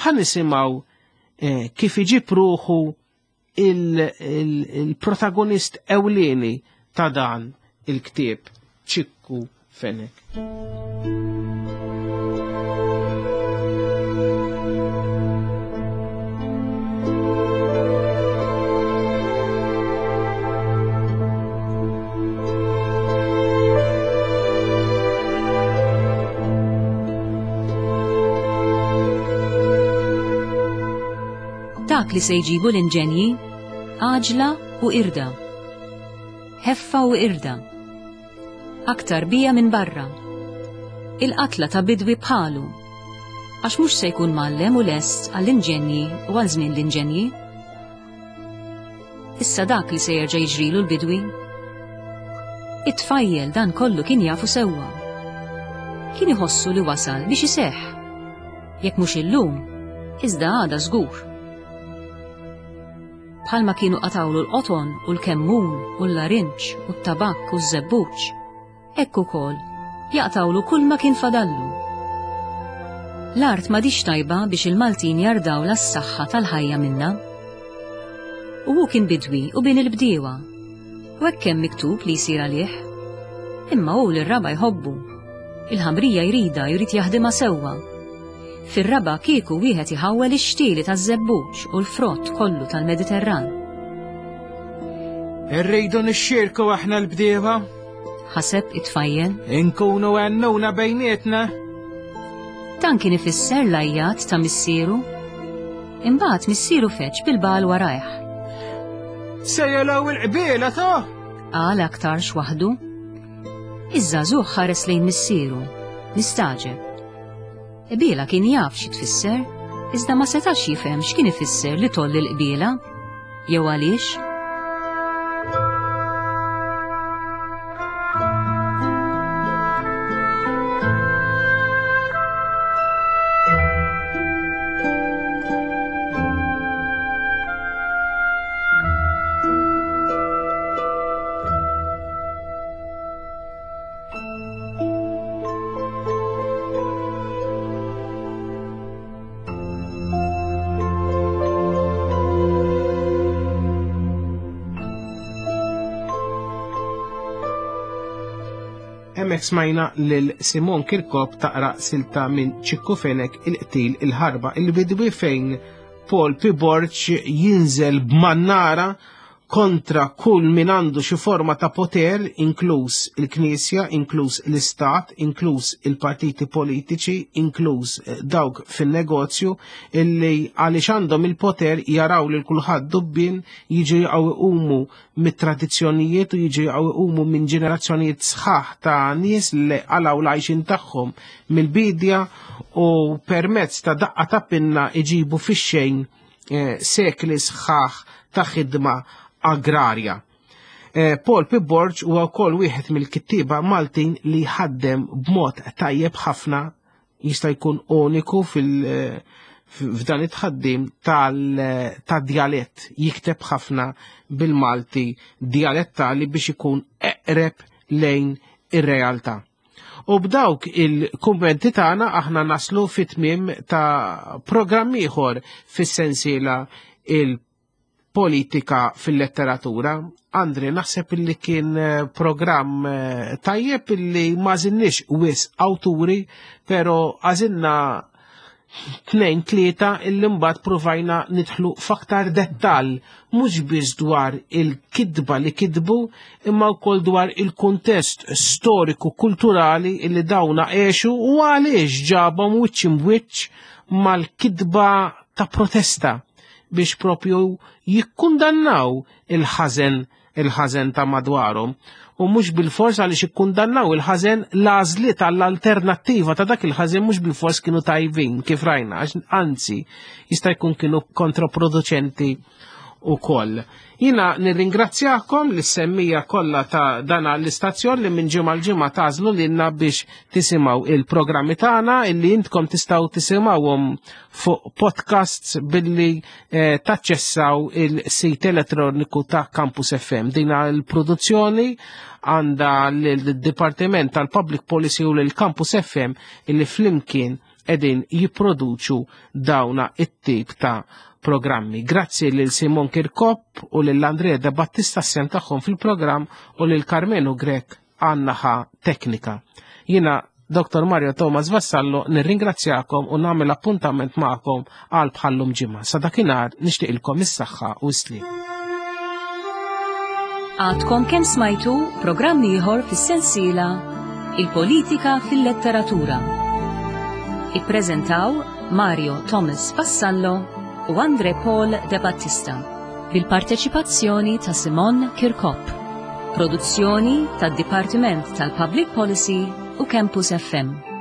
Ħa nisimgħu eh, kif iġib ruħu il-protagonist ewlieni ta' dan il-ktieb Ċikku Fenek. Dak li se jġibu l-inġenji, għaġla u irda. Ħeffa u irda. Aktar bija minn barra. Il-qatla ta' bidwi bħalu. Għax mhux se jkun mgħallem u lest għall-inġenji u għal żmien l-inġenji. Issa dak li se jerġa' jiġrilu l-bidwi. It-tfajjel dan kollu kien jafu sewwa. Kien iħossu li wasal biex iseħħ. Jekk mhux illum, iżda għada żgur. Bħalma kienu qatgħulu l-qoton u l-kemmun u l-larinġ u t-tabakk u ż-żebbuġ, hekk ukoll jaqtgħulu kulma kien fadallu. L-art m'għadhiex tajba biex il-Maltin jardawlha s-saħħa tal-ħajja minnha. U hu kien bidwi u bin il-bdiewa. U hekk hemm miktub li jsir għalih. Imma hu lir-raba' jħobbu. Il-ħamrija jridha, jrid jaħdimha sewwa. Fir-raba' kieku wieħed iħawwel ix-xtieli taż-żebbuġ u l-frott kollu tal-Mediterran. Irridu nixxierku aħna l-bdiewa. Ħaseb it-tfajjel. Inkunu għennuna bejnietna. Dan kien ifisser l-għajjat ta' missieru. Imbagħad missieru feġġ bil-bagħal warajh. Se jelaw il-qbiela ta'? Qal aktarx waħdu. Iż-żagħżugħ ħares lejn missieru, mistagħġeb. Qbiela kien jaf xi tfisser, iżda ma setax jifhem x'kien ifisser li tgħolli l-qbiela, jew għaliex. Hemmhekk smajna lil Simon Kirkop taqra silta minn Ċikku Fenek il-qtil il-ħarba il-bidwi fejn Paul P. Borg jinżel b'mannara kontra kull min għandu xi forma ta' poter, inkluż il-Knisja, inkluż l-Istat, inkluż il-partiti politiċi, inkluż eh, dawk fin-negozju, illi għaliex għandhom il-poter jaraw lil kulħadd dubbien jiġu jaqgħu iqumu mit-tradizzjonijiet u jiġu jaqgħu iqumu minn ġenerazzjonijiet sħaħ ta' nies li qalgħu l-għajxin tagħhom mill-bidja u permezz ta' daqqa ta' pinna iġibu fix-xejn eh, sekli sħaħ ta' ħidma agrarja. Eh, Paul P. Borg huwa wkoll wieħed mill-kittieba Maltin li ħaddem b'mod tajjeb ħafna jista' jkun uniku fil- eh, f'dan it-tħaddim tal-djalett jikteb ħafna bil-Malti dialettali biex ikun eqreb lejn ir-realtà. U b'dawk il-kummenti tagħna aħna naslu fit-tmiem ta' programm ieħor fis-sensiela il-politika fil-letteratura. Andri, naħseb illi kien eh, programm eh, tajjeb illi ma zinniex wis awturi, pero għażilna Tnejn tlieta illi mbagħad pruvajna nidħlu f'aktar dettall mhux biss dwar il-kitba li kitbu imma wkoll dwar il-kuntest storiku kulturali illi dawna għexu u għaliex ġabhom wiċċ imbwiċċ mal-kitba ta' protesta biex propju jikkundannaw il-ħażen il-ħażen ta' madwarhom u mhux bilfors għaliex ikkundannaw il-ħażen l-għażliet għall-alternattiva ta' dak il-ħażen mhux bilfors kienu tajbin kif rajna, anzi jista' jkun kienu kontraproduċenti ukoll. Jina nirringrazzjakom li semmija kollha ta' dana l-istazzjon li minn ġimgħa l-ġimgħa tażlu lilna biex tisimgħu il-programmi tagħna illi intkom tistgħu tisimgħuhom fuq podcasts billi eh, taċċessaw il-sit elettroniku ta' Campus FM. Dina l-produzzjoni għanda l-Dipartiment tal-Public Policy u l-Campus FM illi flimkien edin jipproduċu dawna it-tip ta' programmi. Grazzi lil Simon Kirkop u lil Andrea De Battista sem tagħhom fil-programm u lil Carmenu Grek għan-naħa teknika. Jina Dr. Mario Thomas Vassallo nirringrazzjakom u nagħmel appuntament magħkom għal bħallum ġimgħa. Sa dakinhar nixtieqilkom is-saħħa u s-sliem. Għadkom kemm smajtu programm ieħor fis-sensiela Il-Politika fil-Letteratura. Ippreżentaw Mario Thomas Vassallo u Andre Paul De Battista bil-parteċipazzjoni ta' Simon Kirkop. Produzzjoni tad-Dipartiment tal-Public Policy u Campus FM.